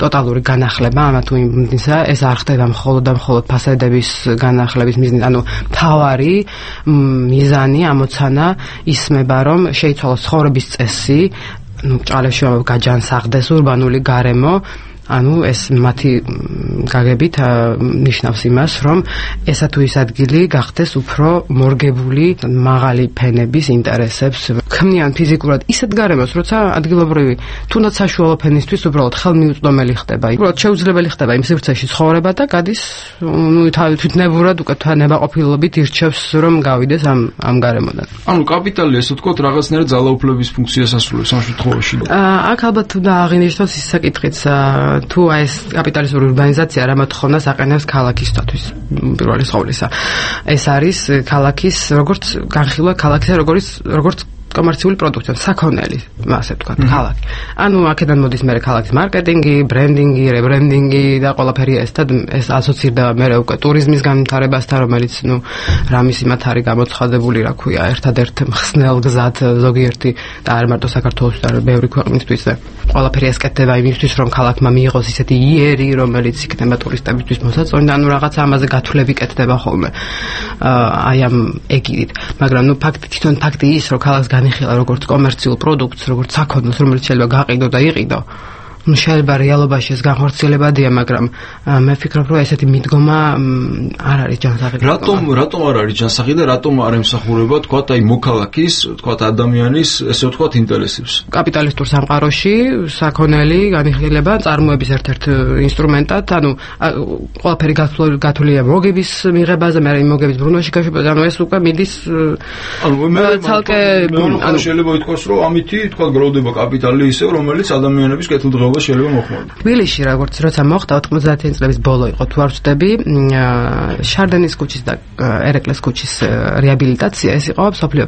ტოტალური განახლება ამა თუ იმისა, ეს არ ხდება მხოლოდ და მხოლოდ ფასადების განახლების მიზნით, ანუ თავარი მიზანი ამოცანა ისმება, რომ შეიცვალოს ცხოვრების წესი, ნუ ჭალებში გაჯანსაღდეს ურბანული გარემო, ანუ ეს მათი გაგებით ნიშნავს იმას, რომ ესა თუ ის ადგილი გახდეს უფრო მორგებული მაღალი ფენების ინტერესებს. ქმნიან ფიზიკურად ისეთ გარემოს, როცა ადგილობრივი თუნდაც საშუალო ფენისთვის უბრალოდ ხელმიუწვდომელი ხდება. უბრალოდ შეუძლებელი ხდება იმ სივრცეში ცხოვრება და გადის ნუ თვითნებურად უკვე ნებაყოფილობით ირჩევს რომ გავიდეს ამ ამ გარემოდან. ანუ კაპიტალი ესე ვთქვათ რაღაცნაირად ძალაუფლების ფუნქციას ასრულებს ამ შემთხვევაში. აქ ალბათ უნდა აღინიშნოს ის საკითხიც თუ აი ეს კაპიტალისტური ურბანიზაცია რა მოთხოვნას აყენებს ქალაქისთვის პირველი ყოვლისა. ეს არის ქალაქის როგორც განხილვა ქალაქისა როგორც როგორც კომერციული პროდუქტი, საქონელი, ასე ვთქვათ, ქალაქი. ანუ აქედან მოდის მე ქალაქის მარკეტინგი, ბრენდინგი, რებრენდინგი და ყველაფერი ეს და ეს ასოცირდება მე უკვე ტურიზმის განვითარებასთან, რომელიც ნუ რამის იმათ არის გამოცხადებული, რა ქვია, ერთადერთ მხსნელ გზად ზოგიერთი და არ მარტო საქართველოსთვის, არამედ ბევრი ქვეყნისთვის და ყველაფერი ესკეთდება იმისთვის, რომ ქალაქმა მიიღოს ისეთი იერი, რომელიც იქნება ტურისტებისთვის მოსაწონი და ანუ რაღაც ამაზე გათვლები კეთდება ხოლმე. აი ამ ეგიდით, მაგრამ ნუ ფაქტი თვითონ ფაქტი ის, რომ ქალაქს განიხილა როგორც კომერციულ პროდუქტს, როგორც საქონელს, რომელიც შეიძლება გაყიდო და იყიდო. ну შეიძლება რეალობაში ეს განხორციელებადია, მაგრამ მე ვფიქრობ, რომ ესეთი მიდგომა არ არის ჯანსაღი. რატომ რატომ არ არის ჯანსაღი და რატომ არ ემსახურება, თქვათ, აი მოქალაქის, თქვათ, ადამიანის, ესე ვთქვათ, ინტერესებს? კაპიტალისტურ სამყაროში საქონელი განიხილება წარმოების ერთ-ერთ ინსტრუმენტად, ანუ ყველაფერი გათვლილია მოგების მიღებაზე, მე მოგების ბრუნვაში გაშვებაზე, ანუ ეს უკვე მიდის ანუ მე ცალკე ანუ შეიძლება ითქვას, რომ ამითი, თქვათ, გროვდება კაპიტალი ისე, რომელიც ადამიანების კეთილდღეობას შეიძლება მოხმარდეს. თბილისში როგორც როცა მოხდა ოთხმოცდაათი წლების ბოლო იყო, თუ არ ვწდები, შარდენის ქუჩის და ერეკლეს ქუჩის რეაბილიტაცია, ეს იყო სოფლიო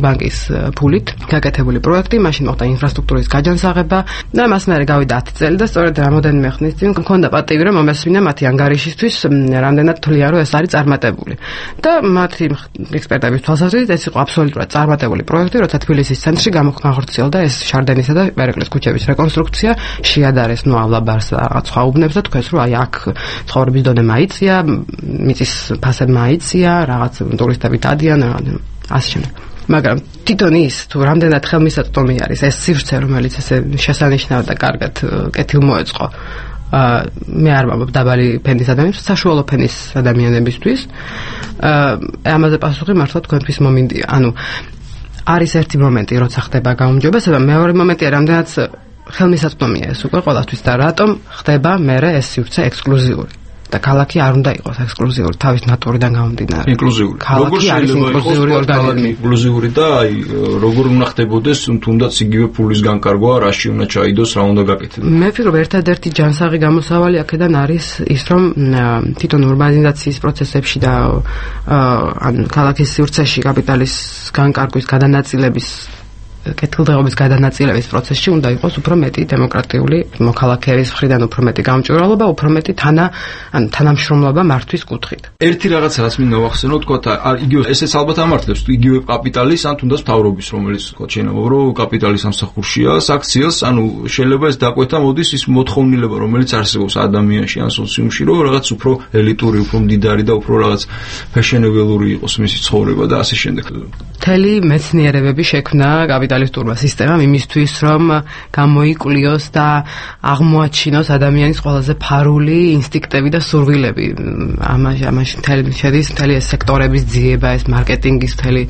ბანკის ფულით გაკეთებული პროექტი, მაშინ მოხდა ინფრასტრუქტურის გაჯანსაღება და მასმეერე გავიდა ათი წელი და სწორედ რამოდენიმე ხნის წინ მქონდა პატივი, რომ მომესმინა მათი ანგარიშისთვის, რამდენად თვლიან, რომ ეს არის წარმატებული. და მათი ექსპერტების თვალსაზრისით ეს იყო აბსოლუტურად წარმატებული პროექტი, როცა თბილისის ცენტრში განხორციელდა ეს შარდენისა და ერეკლეს ქუჩების რეკონსტრუქცია. შეადარეს ნუ ავლაბარს რაღაც სხვა უბნებს და თქვენს რომ აი აქ ცხოვრების დონე მაიცია, მიწის ფასები მაიცია, რაღაც ტურისტები დადიან, ასე შემდეგ. მაგრამ თვითონ ის თუ რამდენად ხელმისაწვდომი არის ეს სივრცე, რომელიც ესე შესანიშნავად და კარგად კეთილმოეწყო, მე არ ვამბობ დაბალი ფენის ადამიანებს, საშუალო ფენის ადამიანებისთვის. ამაზე პასუხი მართლა თქვენთვის მომინდია. ანუ არის ერთი მომენტი, როცა ხდება გაუმჯობესება, მეორე მომენტია, რამდენად ხელმისაწვდომია ეს უკვე ყველასთვის და რატომ ხდება მერე ეს სივრცე ექსკლუზიური და ქალაქი არ უნდა იყოს ექსკლუზიური თავის ნატურიდან გამომდინარე. ინკლუზიური. როგორ შეიძლება იყოს ორგანიზმი ინკლუზიური და აი როგორ უნდა ხდებოდეს თუნდაც იგივე ფულის განკარგვა, რაში უნდა ჩაიდოს, რა უნდა გაკეთდეს. მე ვფიქრობ ერთადერთი ჯანსაღი გამოსავალი აქედან არის ის, რომ თვითონ ურბანიზაციის პროცესებში და ან ქალაქის სივრცეში კაპიტალის განკარგვის გადანაწილების კეთილდღეობის გადანაწილების პროცესში უნდა იყოს უფრო მეტი დემოკრატიული მოქალაქეების მხრიდან უფრო მეტი გამჭვირვალობა, უფრო მეტი თანა ან თანამშრომლობა მართვის კუთხით. ერთი რაღაცა რაც მინდა ვახსენო, თქვა იგივე ესეც ალბათ ამართლებს იგივე კაპიტალის ან თუნდაც მთავრობის, რომელიც თქვა შეიძლება რომ კაპიტალის სამსახურშია, საქციელს, ანუ შეიძლება ეს დაკვეთა მოდის ის მოთხოვნილება, რომელიც არსებობს ადამიანში ან სოციუმში, რომ რაღაც უფრო ელიტური, უფრო მდიდარი და უფრო რაღაც ფეშენებელური იყოს მისი ცხოვრება და ასე შემდეგ. მთელი მეცნიერებები შექმნა კაპიტალისტურმა სისტემამ იმისთვის, რომ გამოიკლიოს და აღმოაჩინოს ადამიანის ყველაზე ფარული ინსტინქტები და სურვილები. ამაში ამაში მთელი შედის მთელი ეს სექტორების ძიება, ეს მარკეტინგის მთელი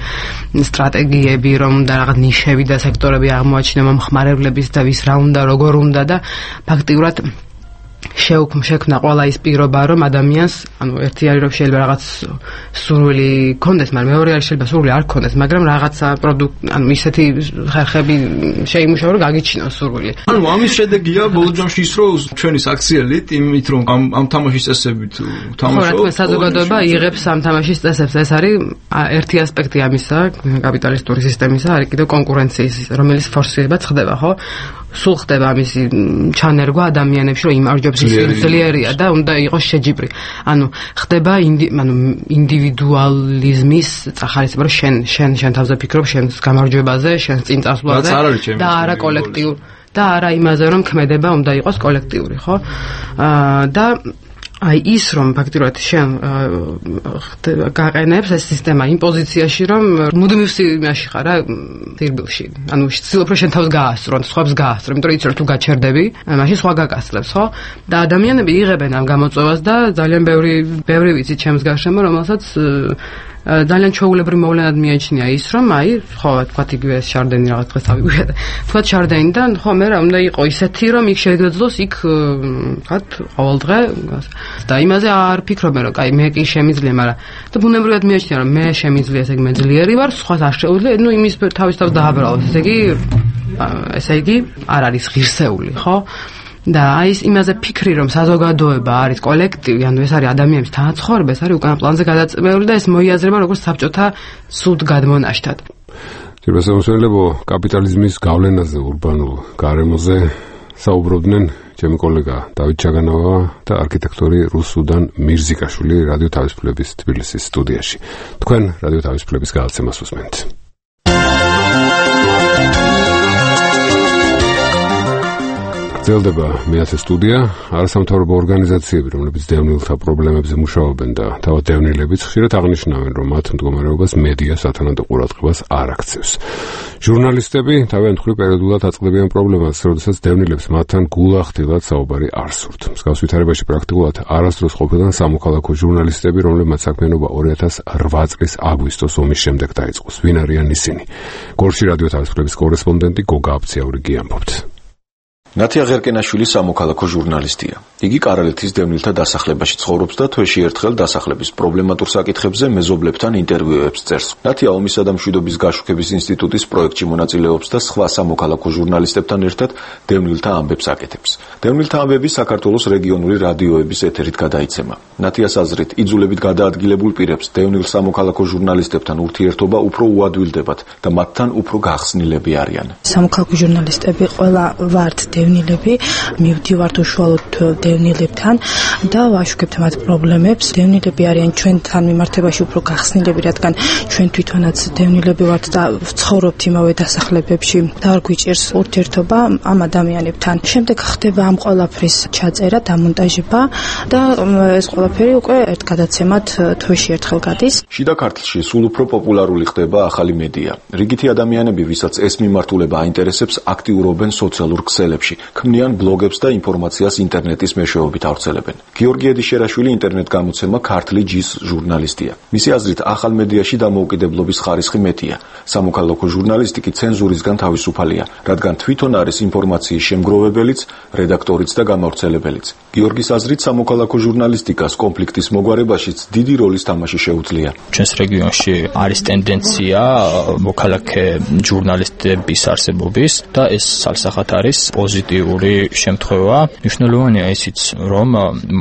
სტრატეგიები, რომ და რაღაც ნიშები და სექტორები აღმოაჩინა მომხმარებლების და ვის რა უნდა, როგორ უნდა და ფაქტიურად შეუქმნა ყველა ის პირობა, რომ ადამიანს, ანუ ერთი არის რომ შეიძლება რაღაც სურვილი ქონდეს, მაგრამ მეორე არის შეიძლება სურვილი არ ქონდეს, მაგრამ რაღაცა პროდუქტ, ანუ ისეთი ხერხები შეიმუშაო, რომ გაგიჩინოს სურვილი. ანუ ამის შედეგია ბოლო ჯამში ის, რომ ჩვენი საქციელით, იმით რომ ამ ამ თამაშის წესებით თამაშობ. ხო, საზოგადოება იღებს ამ თამაშის წესებს. ეს არის ერთი ასპექტი ამისა, კაპიტალისტური სისტემისა, არის კიდევ კონკურენციის, რომელიც ფორსირებაც ხდება, ხო? სულ ხდება ამისი ჩანერგვა ადამიანებში, რომ იმარჯვებს ძლიერია და უნდა იყოს შეჯიბრი. ანუ ხდება ანუ ინდივიდუალიზმის წახალისება, რომ შენ შენ შენ თავზე ფიქრობ შენს გამარჯვებაზე, შენს წინ წასვლაზე და არა კოლექტიურ და არა იმაზე, რომ ქმედება უნდა იყოს კოლექტიური, ხო? და აი ის რომ ფაქტიურად შენ გაყენებს ეს სისტემა იმ პოზიციაში რომ მუდმივ იმაში ხარ რა თირბილში ანუ ცდილობ რომ შენ თავს გაასწრო სხვებს გაასწრო იმიტომ რომ იცი რომ თუ გაჩერდები მაშინ სხვა გაკასლებს ხო და ადამიანები იღებენ ამ გამოწვევას და ძალიან ბევრი ბევრი ვიცი ჩემს გარშემო რომელსაც ძალიან ჩვეულებრივ მოვლენად მიაჩნია ის რომ აი ხო თქვათ იგივე შარდენი რაღაც დღეს ავიგვია და თქვათ შარდენი და ხო მე რა უნდა იყო ისეთი რომ იქ შეგეძლოს იქ თქვათ ყოველდღე და იმაზე არ ფიქრობენ რომ აი მე კი შემიძლია მაგრამ და ბუნებრივად მიაჩნია რომ მე შემიძლია ესე იგი მე ძლიერი ვარ სხვას არ შეუძლია ნუ იმის თავის თავს დააბრალოს ესე იგი ესე იგი არ არის ღირსეული ხო და აი ეს იმაზე ფიქრი რომ საზოგადოება არის კოლექტივი, ანუ ეს არის ადამიანების თანაცხოვრება, ეს არის უკანა პლანზე გადაწყვეტილი და ეს მოიაზრება როგორც საბჭოთა სულ გადმონაშთად. ძირფასამოსვენებო კაპიტალიზმის გავლენაზე ურბანულ გარემოზე საუბრობდნენ ჩემი კოლეგა დავით ჩაგანავა და არქიტექტორი რუსუდან მირზიკაშვილი რადიო თავისუფლების თბილისის სტუდიაში. თქვენ რადიო თავისუფლების გადაცემას უსმენთ. გრძელდება მეათე სტუდია, არასამთავრობო ორგანიზაციები, რომლებიც დევნილთა პრობლემებზე მუშაობენ და თავად დევნილებიც ხშირად აღნიშნავენ, რომ მათ მდგომარეობას მედია სათანადო ყურადღებას არ აქცევს. ჟურნალისტები თავიანთ მხრივ პერიოდულად აწყდებიან პრობლემას, როდესაც დევნილებს მათთან გულახდილად საუბარი არ სურთ. მსგავს ვითარებაში პრაქტიკულად არასდროს ყოფილან სამოქალაქო ჟურნალისტები, რომლებმაც საქმიანობა ორი ათას რვა წლის აგვისტოს ომის შემდეგ დაიწყოს. ვინ არიან ისინი? გორში რადიო თავისუფლების კორესპონდენტი გოგა აბციაურიგი ამბობთ. ნათია ღერკენაშვილი სამოქალაქო ჟურნალისტია. იგი კარალეთის დევნილთა დასახლებაში ცხოვრობს და თვეში ერთხელ დასახლების პრობლემატურ საკითხებზე მეზობლებთან ინტერვიუებს წერს. ნათია ომისა და მშვიდობის გაშუქების ინსტიტუტის პროექტში მონაწილეობს და სხვა სამოქალაქო ჟურნალისტებთან ერთად დევნილთა ამბებს აკეთებს. დევნილთა ამბები საქართველოს რეგიონული რადიოების ეთერით გადაიცემა. ნათიას აზრით, იძულებით გადაადგილებულ პირებს დევნილ სამოქალაქო ჟურნალისტებთან ურთიერთობა უფრო უადვილდებათ და მათთან უფრო გახსნილები არიან. სამოქალაქო ჟურნალისტები ყველა ვართ დევნილები, მივდივართ უშუალოდ დევნილებთან და ვაშუქებთ მათ პრობლემებს. დევნილები არიან ჩვენთან მიმართებაში უფრო გახსნილები, რადგან ჩვენ თვითონაც დევნილები ვართ და ვცხოვრობთ იმავე დასახლებებში და არ გვიჭირს ურთიერთობა ამ ადამიანებთან. შემდეგ ხდება ამ ყველაფრის ჩაწერა, დამონტაჟება და ეს ყველაფერი უკვე ერთ გადაცემად თვეში ერთხელ გადის. შიდა ქართლში სულ უფრო პოპულარული ხდება ახალი მედია. რიგითი ადამიანები, ვისაც ეს მიმართულება აინტერესებს, აქტიურობენ სოციალურ ქსელებში. ქმნიან ბლოგებს და ინფორმაციას ინტერნეტის მეშვეობით ავრცელებენ. გიორგი ედიშერაშვილი ინტერნეტ გამოცემა ქართლი ჯის ჟურნალისტია. მისი აზრით, ახალ მედიაში დამოუკიდებლობის ხარისხი მეტია. სამოქალაქო ჟურნალისტიკი ცენზურისგან თავისუფალია, რადგან თვითონ არის ინფორმაციის შემგროვებელიც, რედაქტორიც და გამავრცელებელიც. გიორგის აზრით, სამოქალაქო ჟურნალისტიკას კონფლიქტის მოგვარებაშიც დიდი როლის თამაში შეუძლია. ჩვენს რეგიონში არის ტენდენცია მოქალაქე ჟურნალისტების არსებობის და ეს სალსახად არის პოზიტიური შემთხვევა. მნიშვნელოვანია ისიც, რომ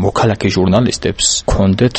მოქალაქე ჟურნალისტებს ჰქონდეთ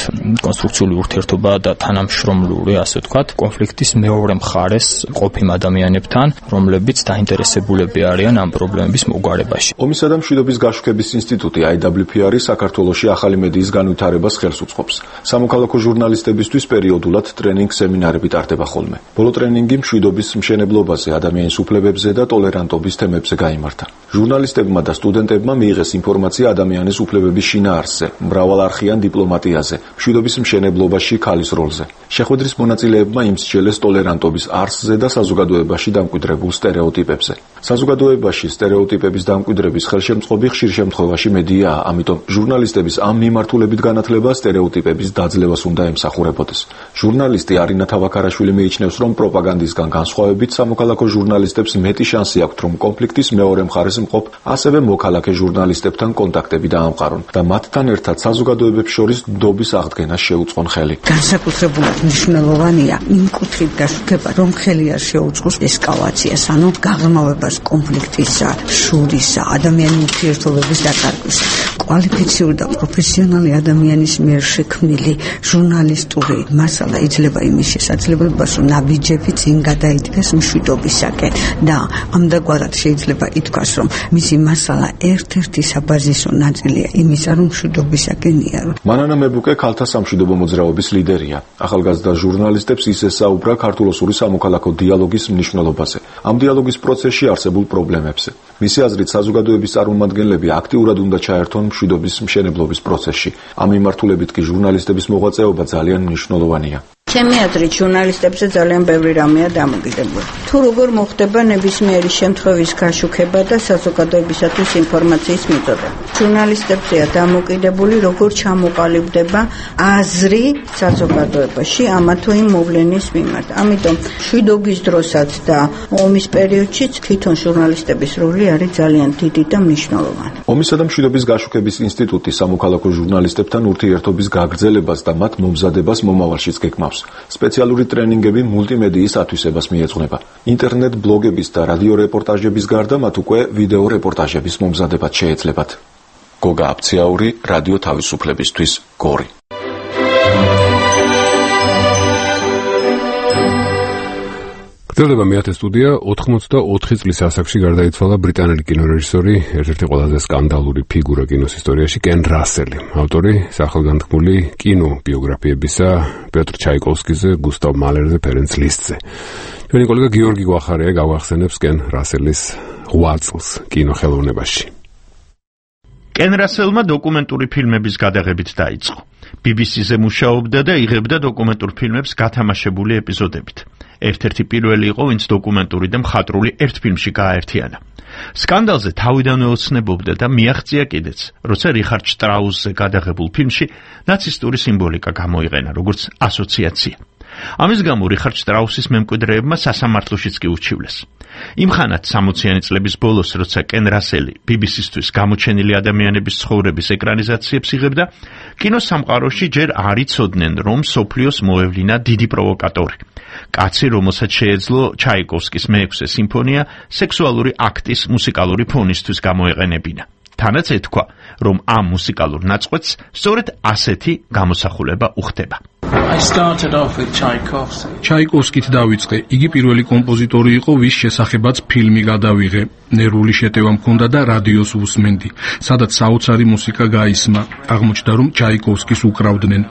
კონსტრუქციული ურთიერთობა და თანამშრომლური, ასე ვთქვათ, კონფლიქტის მეორე მხარეს ყოფიმ ადამიანებთან, რომლებიც დაინტერესებულები არიან ამ პრობლემების მოგვარებაში. ომისა და მშვიდობის გაშუქების ინსტიტუტი აი დაბლიუ პი არი საქართველოში ახალი მედიის განვითარებას ხელს უწყობს. სამოქალაქო ჟურნალისტებისთვის პერიოდულად ტრენინგ სემინარები ტარდება ხოლმე. ბოლო ტრენინგი მშვიდობის მშენებლობაზე, ადამიანის უფლებებზე და ტოლერანტობის თემებზე გაიმართა. ჟურნალისტებმა და სტუდენტებმა მიიღეს ინფორმაცია ადამიანის უფლებების შინაარსზე, მრავალარხიან დიპლომატიაზე, მშვიდობის მშენებლობაში ქალის როლზე. შეხვედრის მონაწილეებმა იმსჯელეს ტოლერანტობის არსზე და საზოგადოებაში დამკვიდრებულ სტერეოტიპებზე. საზოგადოებაში სტერეოტიპების დამკვიდრების ხელშემწყობი ხშირ შემთხვევაში მედიაა, ამიტომ ჟურნალისტების ამ მიმართულებით განათლება სტერეოტიპების დაძლევას უნდა ემსახურებოდეს. ჟურნალისტი არინა თავაქარაშვილი მიიჩნევს, რომ პროპაგანდისგან განსხვავებით სამოქალაქო ჟურნალისტებს მეტი შანსი აქვთ, რომ კონფლიქტის მეორე მხარეს მყოფ, ასევე მოქალაქე ჟურნალისტებთან კონტაქტები დაამყარონ და მათთან ერთად საზოგადოებებს შორის ნდობის აღდგენას შეუწყონ ხელი. განსაკუთრებულად მნიშვნელოვანია იმ კუთხით გაშუქება, რომ ხელი არ შეუწყოს ესკალაციას, ანუ გაღრმავებას კონფლიქტისა, შურისა, ადამიანის ურთიერთობების დაკარგვისა. კვალიფიციური და პროფესიონალი ადამიანის მიერ შექმნილი ჟურნალისტური მასალა იძლევა იმის შესაძლებლობას, რომ ნაბიჯები წინ გადაიდგეს მშვიდობისაკენ და ამდაგვარად შეიძლება ითქვას, რომ მისი მასალა ერთ-ერთი საბაზისო ნაწილია იმისა, რომ მშვიდობისაკენ იარო. მანანა მებუკე ქალთა სამშვიდობო მოძრაობის ლიდერია. ახალგაზრდა ჟურნალისტებს ის ესაუბრა ქართულ-ოსური სამოქალაქო დიალოგის მნიშვნელობაზე, ამ დიალოგის პროცესში არსებულ პრობლემებზე. მისი აზრით, საზოგადოების წარმომადგენლები აქტიურად უნდა ჩაერთონ მშვიდობის მშენებლობის პროცესში. ამ მიმართულებით კი ჟურნალისტების მოღვაწეობა ძალიან მნიშვნელოვანია. ჩემი აზრით, ჟურნალისტებზე ძალიან ბევრი რამეა დამოკიდებული. თუ როგორ მოხდება ნებისმიერი შემთხვევის გაშუქება და საზოგადოებისათვის ინფორმაციის მიწოდება. ჟურნალისტებზეა დამოკიდებული, როგორ ჩამოყალიბდება აზრი საზოგადოებაში ამა თუ იმ მოვლენის მიმართ. ამიტომ მშვიდობის დროსაც და ომის პერიოდშიც თვითონ ჟურნალისტების როლი არის ძალიან დიდი და მნიშვნელოვანი. ომისა და მშვიდობის გაშუქების ინსტიტუტი სამოქალაქო ჟურნალისტებთან ურთიერთობის გაგრძელებას და მათ მომზადებას მომავალშიც გეკმავს. სპეციალური ტრენინგები მულტიმედიის ათვისებას მიეძღვნება. ინტერნეტ ბლოგების და რადიო რეპორტაჟების გარდა მათ უკვე ვიდეო რეპორტაჟების მომზადებაც შეეძლებათ. გოგა აფციაური, რადიო თავისუფლებისთვის, გორი. გრძელდება მეათე სტუდია. ოთხმოცდაოთხი წლის ასაკში გარდაიცვალა ბრიტანელი კინორეჟისორი, ერთ-ერთი ყველაზე სკანდალური ფიგურა კინოს ისტორიაში, კენ რასელი. ავტორი სახელგანთქმული კინობიოგრაფიებისა პიოტრ ჩაიკოვსკიზე, გუსტავ მალერზე, ფერენც ლისტზე. ჩვენი კოლეგა გიორგი გვახარია გავახსენებს კენ რასელის რვა წელს კინოხელოვნებაში. კენ რასელმა დოკუმენტური ფილმების გადაღებით დაიწყო. ბი ბი სი-ზე მუშაობდა და იღებდა დოკუმენტურ ფილმებს გათამაშებული ეპიზოდებით. ერთ-ერთი პირველი იყო, ვინც დოკუმენტური და მხატვრული ერთ ფილმში გააერთიანა. სკანდალზე თავიდანვე ოცნებობდა და მიაღწია კიდეც, როცა რიხარდ შტრაუსზე გადაღებულ ფილმში ნაცისტური სიმბოლიკა გამოიყენა, როგორც ასოციაცია. ამის გამო რიხარდ შტრაუსის მემკვიდრეებმა სასამართლოშიც კი უჩივლეს. იმხანად სამოციანი წლების ბოლოს, როცა კენ რასელი ბი ბი სი-სთვის გამოჩენილი ადამიანების ცხოვრების ეკრანიზაციებს იღებდა, კინოსამყაროში ჯერ არ იცოდნენ, რომ მსოფლიოს მოევლინა დიდი პროვოკატორი. კაცი, რომელსაც შეეძლო ჩაიკოვსკის მეექვსე სიმფონია სექსუალური აქტის მუსიკალური ფონისთვის გამოეყენებინა. თანაც ეთქვა, რომ ამ მუსიკალურ ნაწყვეტს სწორედ ასეთი გამოსახულება უხდება. ჩაიკოვსკით დავიწყე. იგი პირველი კომპოზიტორი იყო, ვის შესახებაც ფილმი გადავიღე. ნერვული შეტევა მქონდა და რადიოს ვუსმენდი, სადაც საოცარი მუსიკა გაისმა. აღმოჩნდა, რომ ჩაიკოვსკის უკრავდნენ.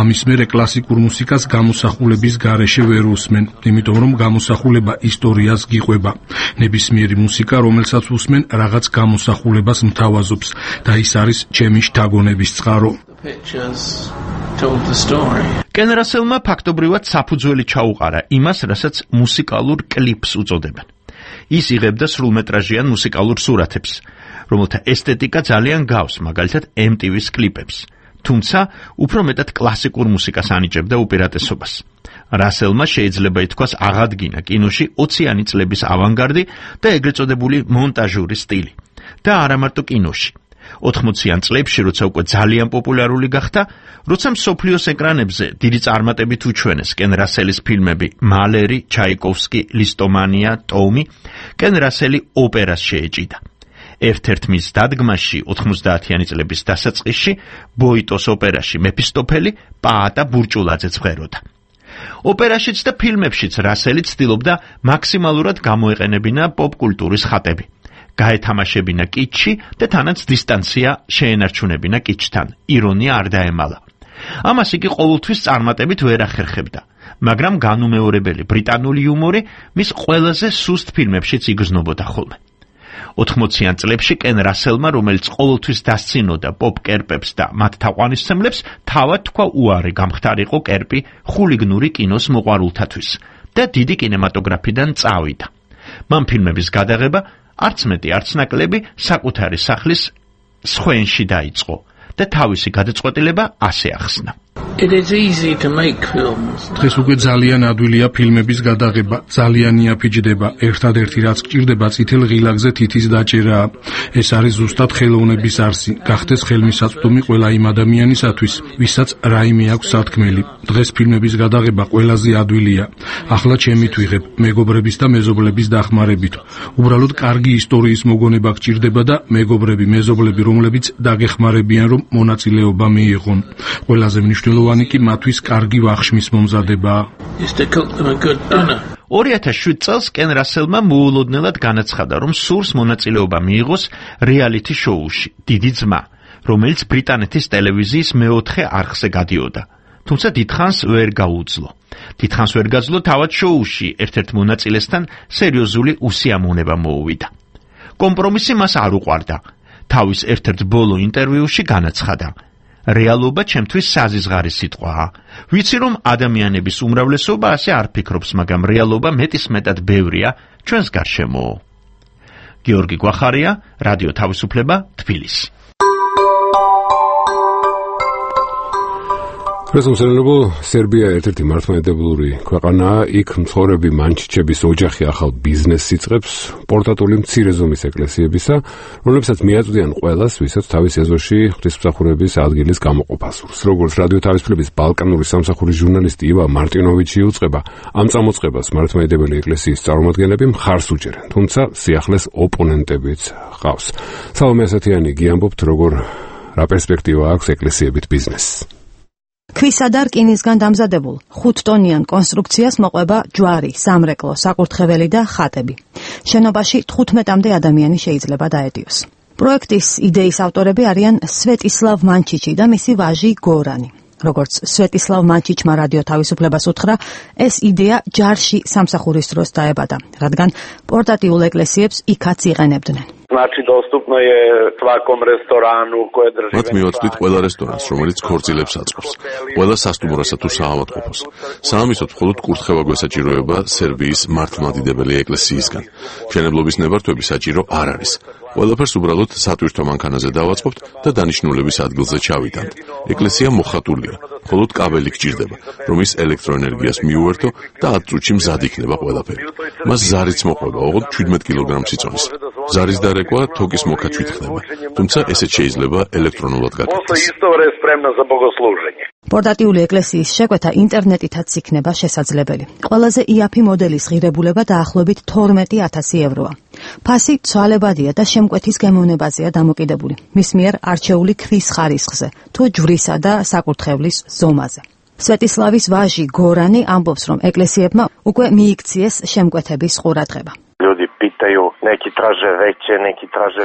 ამის მერე კლასიკურ მუსიკას გამოსახულების გარეშე ვერ უსმენ, იმიტომ რომ გამოსახულება ისტორიას გიყვება. ნებისმიერი მუსიკა, რომელსაც უსმენ, რაღაც გამოსახულებას მთავაზობს და ის არის ჩემი შთაგონების წყარო. კენ რასელმა ფაქტობრივად საფუძველი ჩაუყარა იმას, რასაც მუსიკალურ კლიპს უწოდებენ. ის იღებდა სრულმეტრაჟიან მუსიკალურ სურათებს, რომელთა ესთეტიკა ძალიან გავს, მაგალითად ემ ტი ვის კლიპებს. თუმცა, უფრო მეტად კლასიკურ მუსიკას ანიჭებდა უპირატესობას. რასელმა შეიძლება ითქვას აღადგინა კინოში ოციანი წლების ავანგარდი და ეგრეთ წოდებული მონტაჟური სტილი. და არა მარტო კინოში. ოთხმოციან წლებში, როცა უკვე ძალიან პოპულარული გახდა, როცა მსოფლიოს ეკრანებზე დიდი წარმატებით უჩვენეს კენ რასელის ფილმები მალერი, ჩაიკოვსკი, ლისტომანია, ტომი, კენ რასელი ოპერას შეეჭიდა. ერთ-ერთ მის დადგმაში ოთხმოცდაათიანი წლების დასაწყისში ბოიტოს ოპერაში მეფისტოფელი პაატა ბურჭულაძე ცხეროდა. ოპერაშიც და ფილმებშიც რასელი ცდილობდა მაქსიმალურად გამოეყენებინა პოპკულტურის ხატები. გაეთამაშებინა კიჩი და თანაც დისტანცია შეენარჩუნებინა კიჩთან. ირონია არ დაემალა. ამას იგი ყოველთვის წარმატებით ვერ ახერხებდა, მაგრამ განუმეორებელი ბრიტანული იუმორი მის ყველაზე სუსტ ფილმებშიც იგრძნობოდა ხოლმე. ოთხმოციან წლებში კენ რასელმა, რომელიც ყოველთვის დასცინოდა პოპ კერპებს და მათ თაყვანისმცემლებს, თავად თქვა უარი გამხდარიყო კერპი ხულიგნური კინოს მოყვარულთათვის და დიდი კინემატოგრაფიდან წავიდა. მან ფილმების გადაღება არც მეტი არც ნაკლები საკუთარი სახლის სხვენში დაიწყო და თავისი გადაწყვეტილება ასე ახსნა. დღეს უკვე ძალიან ადვილია ფილმების გადაღება, ძალიან იაფიჯდება. ერთადერთი რაც გჭირდება წითელ ღილაკზე თითის დაჭერაა. ეს არის ზუსტად ხელოვნების არსი, გახდეს ხელმისაწვდომი ყველა იმ ადამიანისათვის, ვისაც რაიმე აქვს სათქმელი. დღეს ფილმების გადაღება ყველაზე ადვილია. ახლა ჩემით ვიღებ, მეგობრების და მეზობლების დახმარებით. უბრალოდ კარგი ისტორიის მოგონება გჭირდება და მეგობრები, მეზობლები, რომლებიც დაგეხმარებიან, რომ მონაწილეობა მიიღონ. ყველაზე მნიშვნელოვანი კი მათთვის კარგი ვახშმის მომზადებაა. ორი ათას შვიდ წელს კენ რასელმა მოულოდნელად განაცხადა, რომ სურს მონაწილეობა მიიღოს რეალიტი შოუში დიდი ძმა, რომელიც ბრიტანეთის ტელევიზიის მეოთხე არხზე გადიოდა. თუმცა დიდხანს ვერ გაუძლო. დიდხანს ვერ გაძლო თავად შოუში ერთ-ერთ მონაწილესთან სერიოზული უსიამოვნება მოუვიდა. კომპრომისი მას არ უყვარდა. თავის ერთ-ერთ ბოლო ინტერვიუში განაცხადა: რეალობა ჩემთვის საზიზღარი სიტყვაა. ვიცი რომ ადამიანების უმრავლესობა ასე არ ფიქრობს, მაგრამ რეალობა მეტისმეტად ბევრია ჩვენს გარშემო. გიორგი გვახარია, რადიო თავისუფლება, თბილისი. პრესომსელობო, სერბია ერთ-ერთი მართლმადიდებლური ქვეყანაა, იქ მცხოვრები მანჩიჩების ოჯახი ახალ ბიზნესს იწყებს, პორტატული მცირე ზომის ეკლესიებისა, რომლებსაც მიაწვდიან ყველას, ვისაც თავის ეზოში ღვთისმსახურების ადგილის გამოყოფა სურს. როგორც რადიო თავისუფლების ბალკანური სამსახურის ჟურნალისტი ივა მარტინოვიჩი უწყება, ამ წამოწყებას მართლმადიდებელი ეკლესიის წარმომადგენლები მხარს უჭერენ, თუმცა სიახლეს ოპონენტებიც ჰყავს. სალომე ასათიანი გიამბობთ, როგორ რა პერსპექტივა აქვს ეკლესიებით ბიზნესს. ქვისა და რკინისგან დამზადებულ ხუთტონიან კონსტრუქციას მოყვება ჯვარი, სამრეკლო, საკურთხეველი და ხატები. შენობაში თხუთმეტამდე ადამიანი შეიძლება დაეტიოს. პროექტის იდეის ავტორები არიან სვეტისლავ მანჩიჩი და მისი ვაჟი გორანი. როგორც სვეტისლავ მანჩიჩმა რადიო თავისუფლებას უთხრა, ეს იდეა ჯარში სამსახურის დროს დაებადა, რადგან პორტატიულ ეკლესიებს იქაც იყენებდნენ. Znači, dostupno je svakom restoranu koje drži... მათ მივაწვდით ყველა რესტორანს, რომელიც ქორწილებს აწყობს, ყველა სასტუმროსა თუ საავადმყოფოს. საამისოდ მხოლოდ კურთხევა გვესაჭიროება სერბიის მართლმადიდებელი ეკლესიისგან. მშენებლობის ნებართვები საჭირო არ არის. ყველაფერს უბრალოდ სატვირთო მანქანაზე დავაწყობთ და დანიშნულების ადგილზე ჩავიტანთ. ეკლესია მოხატულია, მხოლოდ კაბელი გჭირდება, რომ ის ელექტროენერგიას მიუერთო და ათ წუთში მზად იქნება ყველაფერი. მას ზარიც მოყვება, ოღონდ შვიდმეტ კილოგრამს იწონის. ზარის დარეკვა თოკის მოქაჩვით ხდება, თუმცა ესეც შეიძლება ელექტრონულად გაკეთდეს. პორტატიული ეკლესიის შეკვეთა ინტერნეტითაც იქნება შესაძლებელი. ყველაზე იაფი მოდელის ღირებულება დაახლოებით თორმეტი ათასი ევროა. ფასი ცვალებადია და შემკვეთის გემოვნებაზეა დამოკიდებული. მის მიერ არჩეული ქვის ხარისხზე, თუ ჯვრისა და საკურთხევლის ზომაზე. სვეტისლავის ვაჟი გორანი ამბობს, რომ ეკლესიებმა უკვე მიიქციეს შემკვეთების ყურადღება.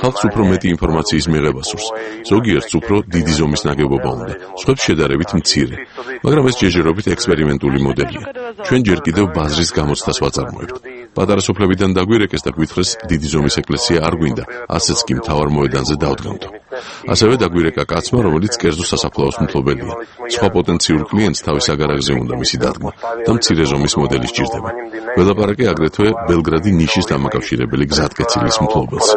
ხალხს უფრო მეტი ინფორმაციის მიღება სურს. ზოგიერთს უფრო დიდი ზომის ნაგებობა უნდა, სხვებს შედარებით მცირე. მაგრამ ეს ჯერჯერობით ექსპერიმენტული მოდელია. ჩვენ ჯერ კიდევ ბაზრის გამოცდას ვაწარმოებთ. პატარა სოფლებიდან დაგვირეკეს და გვითხრეს დიდი ზომის ეკლესია არ გვინდა, ასეც კი მთავარ მოედანზე დავდგამთო. ასევე დაგვირეკა კაცმა, რომელიც კერძო სასაფლაოს მფლობელია. სხვა პოტენციურ კლიენტს თავის აგარაკზე უნდა მისი დადგმა და მცირე ზომის მოდელი სჭირდება. ველაპარაკე აგრეთვე ბელგრადი ნიშის დამაკავშირებელი გზატკეცილის მფლობელს.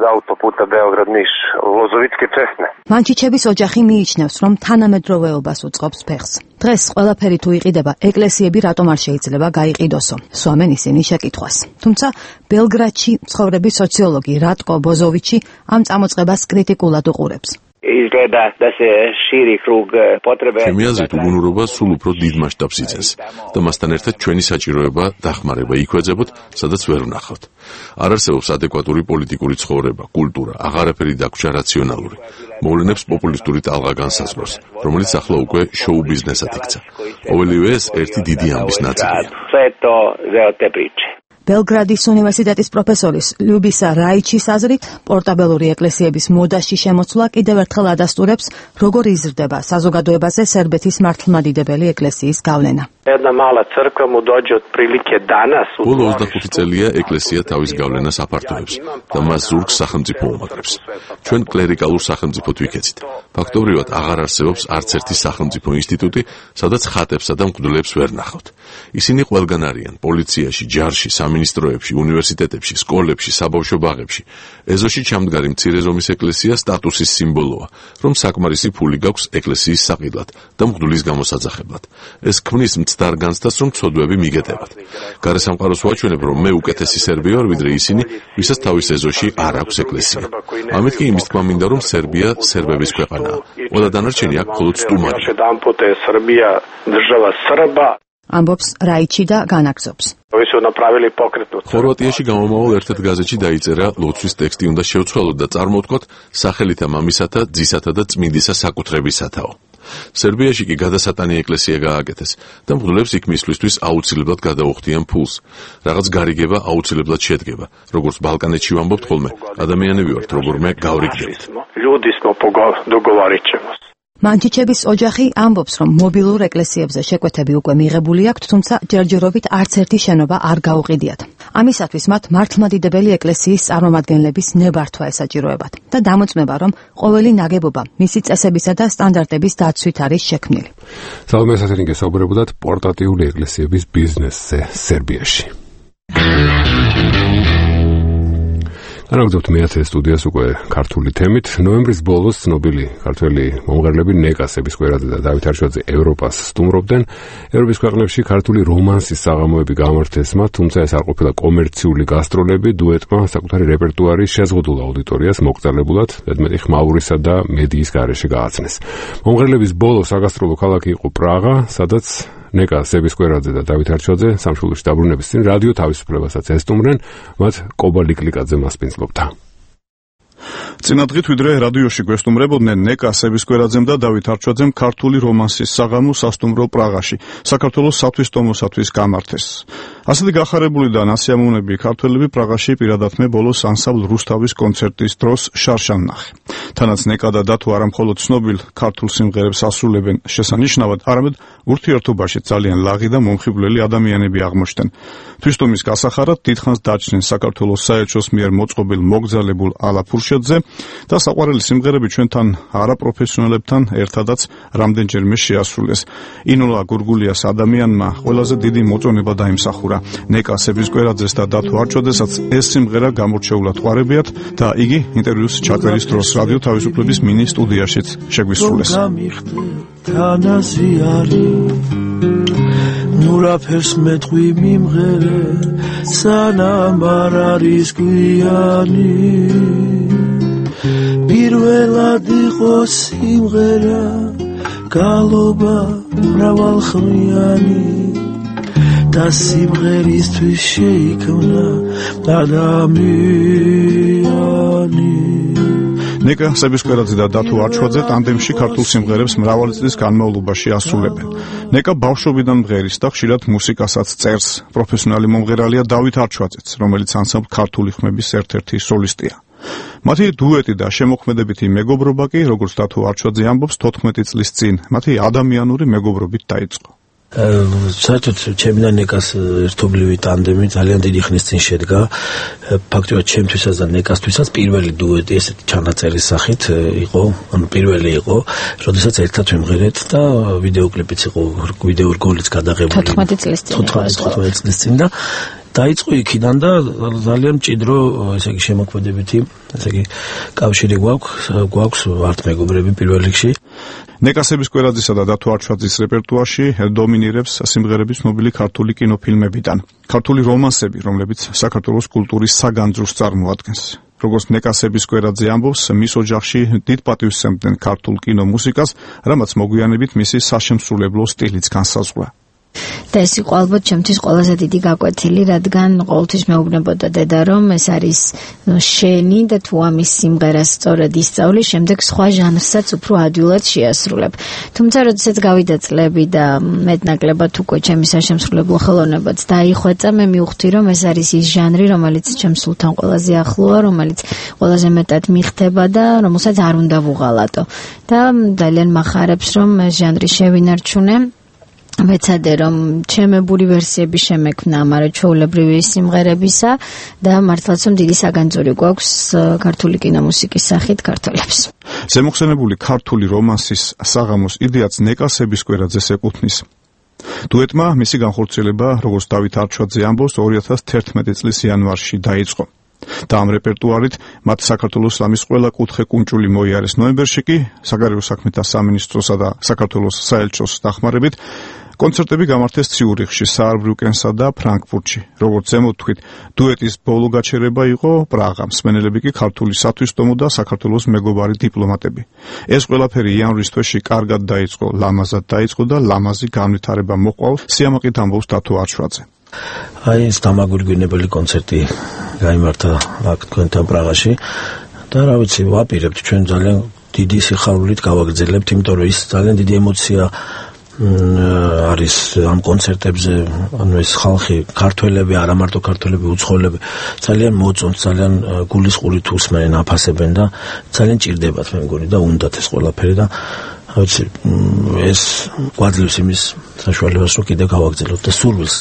მანჩიჩების ოჯახი მიიჩნევს, რომ თანამედროვეობას უწყობს ფეხს. დღეს ყველაფერი თუ იყიდება, ეკლესიები რატომ არ შეიძლება გაიყიდოსო? სვამენ ისინი შეკითხვას. თუმცა ბელგრადში მცხოვრები სოციოლოგი რატკო ბოზოვიჩი ამ წამოწყებას კრიტიკულად უყურებს. ჩემი აზრით უგუნურობა სულ უფრო დიდ მასშტაბს იძენს და მასთან ერთად ჩვენი საჭიროება დახმარება იქვეძებოთ, სადაც ვერ ვნახავთ. არ არსებობს ადეკვატური პოლიტიკური ცხოვრება, კულტურა, აღარაფერი დაგვრჩა რაციონალური. მოვლენებს პოპულისტური ტალღა განსაზღვრავს, რომელიც ახლა უკვე შოუ ბიზნესად იქცა. ყოველივე ეს ერთი დიდი ამბის ნაწილია. ბელგრადის უნივერსიტეტის პროფესორის ლიუბისა რაიჩის აზრით, პორტაბელური ეკლესიების მოდაში შემოცვლა კიდევ ერთხელ ადასტურებს, როგორ იზრდება საზოგადოებაზე სერბეთის მართლმადიდებელი ეკლესიის გავლენა. ბოლო ოცდახუთი წელია ეკლესია თავის გავლენას აფართოებს და მას ზურგს სახელმწიფო უმაგრებს. ჩვენ კლერიკალურ სახელმწიფოდ ვიქეცით. ფაქტობრივად აღარ არსებობს არც ერთი სახელმწიფო ინსტიტუტი, სადაც ხატებსა და მღვდლებს ვერ ნახავთ. ისინი ყველგან არიან პოლიციაში, ჯარში, სამინისტროებში, უნივერსიტეტებში, სკოლებში, საბავშვო ბაღებში. ეზოში ჩამდგარი მცირე ზომის ეკლესია სტატუსის სიმბოლოა, რომ საკმარისი ფული გაქვს ეკლესიის საყიდლად და მღვდლის გამოსაძახებლად. ეს ქმნის მცდარ განცდას, რომ ცოდვები მიგეტებათ. გარესამყაროს ვაჩვენებ, რომ მე უკეთესი სერბი ვარ, ვიდრე ისინი, ვისაც თავის ეზოში არ აქვს ეკლესია. ამით კი იმის თქმა მინდა, რომ სერბია სერბების ქვეყანაა. ყველა დანარჩენი აქ მხოლოდ სტუმარია. ამბობს რაიჩი და განაგზობს. ხორვატიაში გამომავალ ერთ-ერთ გაზეთში დაიწერა ლოცვის ტექსტი უნდა შევცვალოთ და წარმოვთქვათ სახელითა მამისათა, ძისათა და წმინდისა საკუთრებისათაო. სერბიაში კი გადასატანი ეკლესია გააკეთეს და მღვდლებს იქ მისვლისთვის აუცილებლად გადაუხდიან ფულს. რაღაც გარიგება აუცილებლად შედგება. როგორც ბალკანეთში ვამბობთ ხოლმე, ადამიანები ვართ, როგორმე გავრიგდებთ. მანჩიჩების ოჯახი ამბობს, რომ მობილურ ეკლესიებზე შეკვეთები უკვე მიღებული აქვთ, თუმცა ჯერჯერობით არც ერთი შენობა არ გაუყიდიათ. ამისათვის მათ მართლმადიდებელი ეკლესიის წარმომადგენლების ნებართვა ესაჭიროებათ და დამოწმება, რომ ყოველი ნაგებობა მისი წესებისა და სტანდარტების დაცვით არის შექმნილი. სალომე ასათიანი გესაუბრებოდათ პორტატიული ეკლესიების ბიზნესზე სერბიაში. განაგრძობთ მეათე სტუდიას უკვე ქართული თემით. ნოემბრის ბოლოს ცნობილი ქართველი მომღერლები ნეკა სებისკვერაძე და დავით არშვაძე ევროპას სტუმრობდნენ. ევროპის ქვეყნებში ქართული რომანსის საღამოები გამართეს მათ, თუმცა ეს არ ყოფილა კომერციული გასტროლები, დუეტმა საკუთარი რეპერტუარი შეზღუდულ აუდიტორიას მოკრძალებულად, მეტმეტი ხმაურისა და მედიის გარეშე გააცნეს. მომღერლების ბოლო საგასტროლო ქალაქი იყო პრაღა, სადაც ნეკა სებისკვერაძე და დავით არჩვაძე სამშობლოში დაბრუნების წინ რადიო თავისუფლებასაც ესტუმრნენ, მათ კობა ლიკლიკაძე მასპინძლობდა. წინადღით ვიდრე რადიოში გვესტუმრებოდნენ ნეკა სებისკვერაძემ და დავით არჩვაძემ ქართული რომანსის საღამო სასტუმრო პრაღაში, საქართველოს სათვისტომოსათვის გამართეს. ასეთი გახარებული და ნასიამოვნები ქართველები პრაღაში პირადად მე ბოლოს ანსამბლ რუსთავის კონცერტის დროს შარშან ნახე. თანაც ნეკა და დათო არა მხოლოდ ცნობილ ქართულ სიმღერებს ასრულებენ შესანიშნავად, არამედ ურთიერთობაში ძალიან ლაღი და მომხიბვლელი ადამიანები აღმოჩნდნენ. თვისტომის გასახარად დიდხანს დაჩნენ საქართველოს საელჩოს მიერ მოწყობილ მოგზალებულ ალა ფურშეძე და საყვარელი სიმღერები ჩვენთან არაპროფესიონალებთან ერთადაც რამდენჯერმე შეასრულეს. ინულა გურგულიას ადამიანმა ყველაზე დიდი მოწონება დაიმსახურა. ნეკა სებისკვერაძეს და დათო არჩვაძესაც ეს სიმღერა გამორჩეულად ყვარებიათ და იგი ინტერვიუს ჩაწერის დროს რადიო თავისუფლების მინი სტუდიაშიც შეგვისრულეს. ნურაფერს მეტყვი მიმღერე სანამ არ არის გვიანი პირველად იყო სიმღერა გალობა მრავალხმიანი და სიმღერისთვის შეიქმნა ადამიანი. ნეკა სებისკვერაძე და დათო არჩვაძე ტანდემში ქართულ სიმღერებს მრავალი წლის განმავლობაში ასრულებენ. ნეკა ბავშვობიდან მღერის და ხშირად მუსიკასაც წერს. პროფესიონალი მომღერალია დავით არჩვაძეც, რომელიც ანსამბლ ქართული ხმების ერთ-ერთი სოლისტია. მათი დუეტი და შემოქმედებითი მეგობრობა კი, როგორც დათო არჩვაძე ამბობს, თოთხმეტი წლის წინ მათი ადამიანური მეგობრობით დაიწყო. საერთოდ ჩემი და ნეკას ერთობლივი ტანდემი ძალიან დიდი ხნის წინ შედგა. ფაქტობრივად ჩემთვისაც და ნეკასთვისაც პირველი დუეტი ესეთი ჩანაწერის სახით იყო, ანუ პირველი იყო, როდესაც ერთად ვიმღერეთ და ვიდეოკლიპიც იყო, ვიდეო რგოლიც გადაღებული თოთხმეტი წლის წინ. თოთხმეტი წლის წინ და დაიწყო იქიდან და ძალიან მჭიდრო, ესე იგი შემოქმედებითი, ესე იგი კავშირი გვაქვს, გვაქვს ვართ მეგობრები პირველ რიგში. ნეკა სებისკვერაძისა და დათო არჩვაძის რეპერტუარში დომინირებს სიმღერების ცნობილი ქართული კინოფილმებიდან. ქართული რომანსები, რომლებიც საქართველოს კულტურის საგანძურს წარმოადგენს. როგორც ნეკა სებისკვერაძე ამბობს, მის ოჯახში დიდ პატივს სცემდნენ ქართულ კინომუსიკას, რამაც მოგვიანებით მისი საშემსრულებლო სტილიც განსაზღვრა. და ეს იყო ალბათ ჩემთვის ყველაზე დიდი გაკვეთილი, რადგან ყოველთვის მეუბნებოდა დედა, რომ ეს არის შენი და თუ ამის სიმღერას სწორად ისწავლი, შემდეგ სხვა ჟანრსაც უფრო ადვილად შეასრულებ. თუმცა როდესაც გავიდა წლები და მეტნაკლებად უკვე ჩემი საშემსრულებლო ხელოვნებაც დაიხვეწა, მე მივხვდი, რომ ეს არის ის ჟანრი, რომელიც ჩემს სულთან ყველაზე ახლოა, რომელიც ყველაზე მეტად მიხდება და რომელსაც არ უნდა ვუღალატო. და ძალიან მახარებს, რომ ეს ჟანრი შევინარჩუნე. მეცადე რომ ჩემებური ვერსიები შემექმნა ამარჩეულებრივი სიმღერებისა და მართლაც რომ დიდი საგანძური გვაქვს ქართული კინომუსიკის სახით ქართველებს. ზემოხსენებული ქართული რომანსის საღამოს იდეაც ნეკა სებისკვერაძეს ეკუთვნის. დუეტმა მისი განხორციელება, როგორც დავით არჩვაძე ამბობს, ორი ათას თერთმეტი წლის იანვარში დაიწყო. და ამ რეპერტუარით მათ საქართველოს სამის ყველა კუთხე კუნჭული მოიარეს. ნოემბერში კი საგარეო საქმეთა სამინისტროსა და საქართველოს საელჩოს დახმარებით კონცერტები გამართეს ციურიხში, საარბრუკენსა და ფრანკფურტში. როგორც ზემოთქვით, დუეტის ბოლო გაჩერება იყო პრაღა. მსმენელები კი ქართული სათვისტომო და საქართველოს მეგობარი დიპლომატები. ეს ყველაფერი იანვრის თვეში კარგად დაიწყო, ლამაზად დაიწყო და ლამაზი განვითარება მოყვა, სიამაყით ამბობს დათო არჩვაძე. აი ეს დამაგვირგვინებელი კონცერტი გაიმართა აქ თქვენთან პრაღაში და რა ვიცი, ვაპირებთ ჩვენ ძალიან დიდი სიხარულით გავაგრძელებთ, იმიტომ რომ ის ძალიან დიდი ემოცია არის ამ კონცერტებზე, ანუ ეს ხალხი, ქართველები, არა მარტო ქართველები, უცხოელები ძალიან მოწონს, ძალიან გულისყურით უსმენენ, აფასებენ და ძალიან ჭირდებათ მე მგონი და უნდათ ეს ყველაფერი და რა ვიცი, ეს გვაძლევს იმის საშუალებას რომ კიდე გავაგრძელოთ და სურვილს.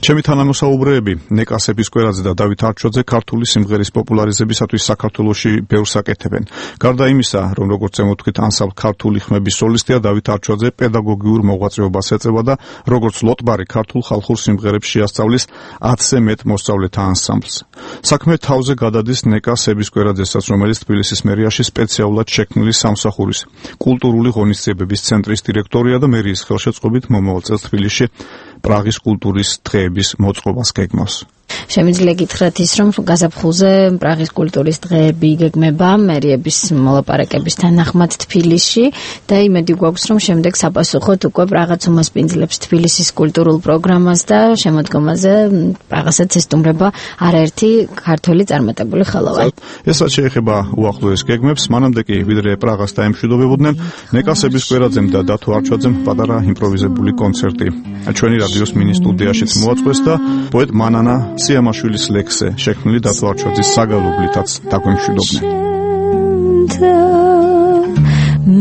ჩემი თანამოსაუბრეები ნეკა სებისკვერაძე და დავით არჩოძე ქართული სიმღერის პოპულარიზებისათვის საქართველოში ბევრს აკეთებენ. გარდა იმისა, რომ როგორც ემოთქვით ანსამბლ ქართული ხმების სოლისტია, დავით არჩოძე პედაგოგიურ მოღვაწეობას ეწევა და როგორც ლოტბარი ქართულ ხალხურ სიმღერებს შეასწავლის ათზე მეტ მოსწავლეთა ანსამბლს. საქმე თავზე გადადის ნეკა სებისკვერაძესაც, რომელიც თბილისის მერიაში სპეციალურად შექმნილი სამსახურის კულტურული ღონისძიებების ცენტრის დირექტორია და მერიის ხელშეწყობით მომავალ წელს თბილისში პრაღის კულტურის დღეების მოწყობას გეგმავს. შემიძლია გითხრათ ის, რომ გაზაფხულზე პრაღის კულტურის დღეები იგეგმება მერიების მოლაპარაკების თანახმად თბილისში და იმედი გვაქვს, რომ შემდეგ საპასუხოდ უკვე პრაღაც უმასპინძლებს თბილისის კულტურულ პროგრამას და შემოდგომაზე პრაღასაც ესტუმრება არაერთი ქართველი წარმატებული ხელოვანი. ესაც შეეხება უახლოეს გეგმებს, მანამდე კი ვიდრე პრაღას დაემშვიდობებოდნენ, ნეკა სებისკვერაძემ და დათო არჩოძემ პატარა იმპროვიზებული კონცერტი ჩვენი რადიოს მინი სტუდიაშიც მოაწყვეს და პოეტ მანანა სიამაშვილის ლექსზე შექმნილი დათო არჩოძის საგალობლითაც დაგვემშვიდობდნენ.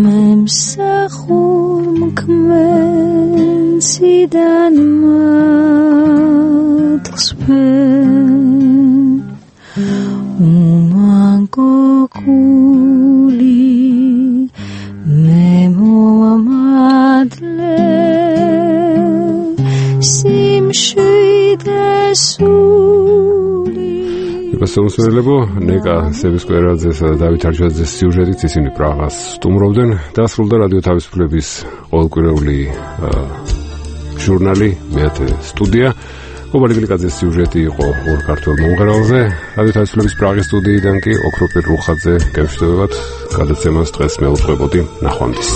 მემსახურ მკმენციდან მათხსვენ უმანგოკული მე მომადლე სიმშვიდესული მოსწავლეებო ნეკა სებისკვერაძესა და დავით არჩოძეს სიუჟეტით ისინი პრაღას სტუმრობდნენ და სრულდა რადიო თავისუფლების ყოველკვირეული ჟურნალი მეათე სტუდია. გოგოლი გლიკაძის სიუჟეტი იყო ორ ქართველ მომღერალზე. რადიო თავისუფლების პრაღის სტუდიიდან კი ოქროპირ რუხაძე გემშვიდობებათ. გადაცემას დღეს მეუძღვებოდი. ნახვამდის.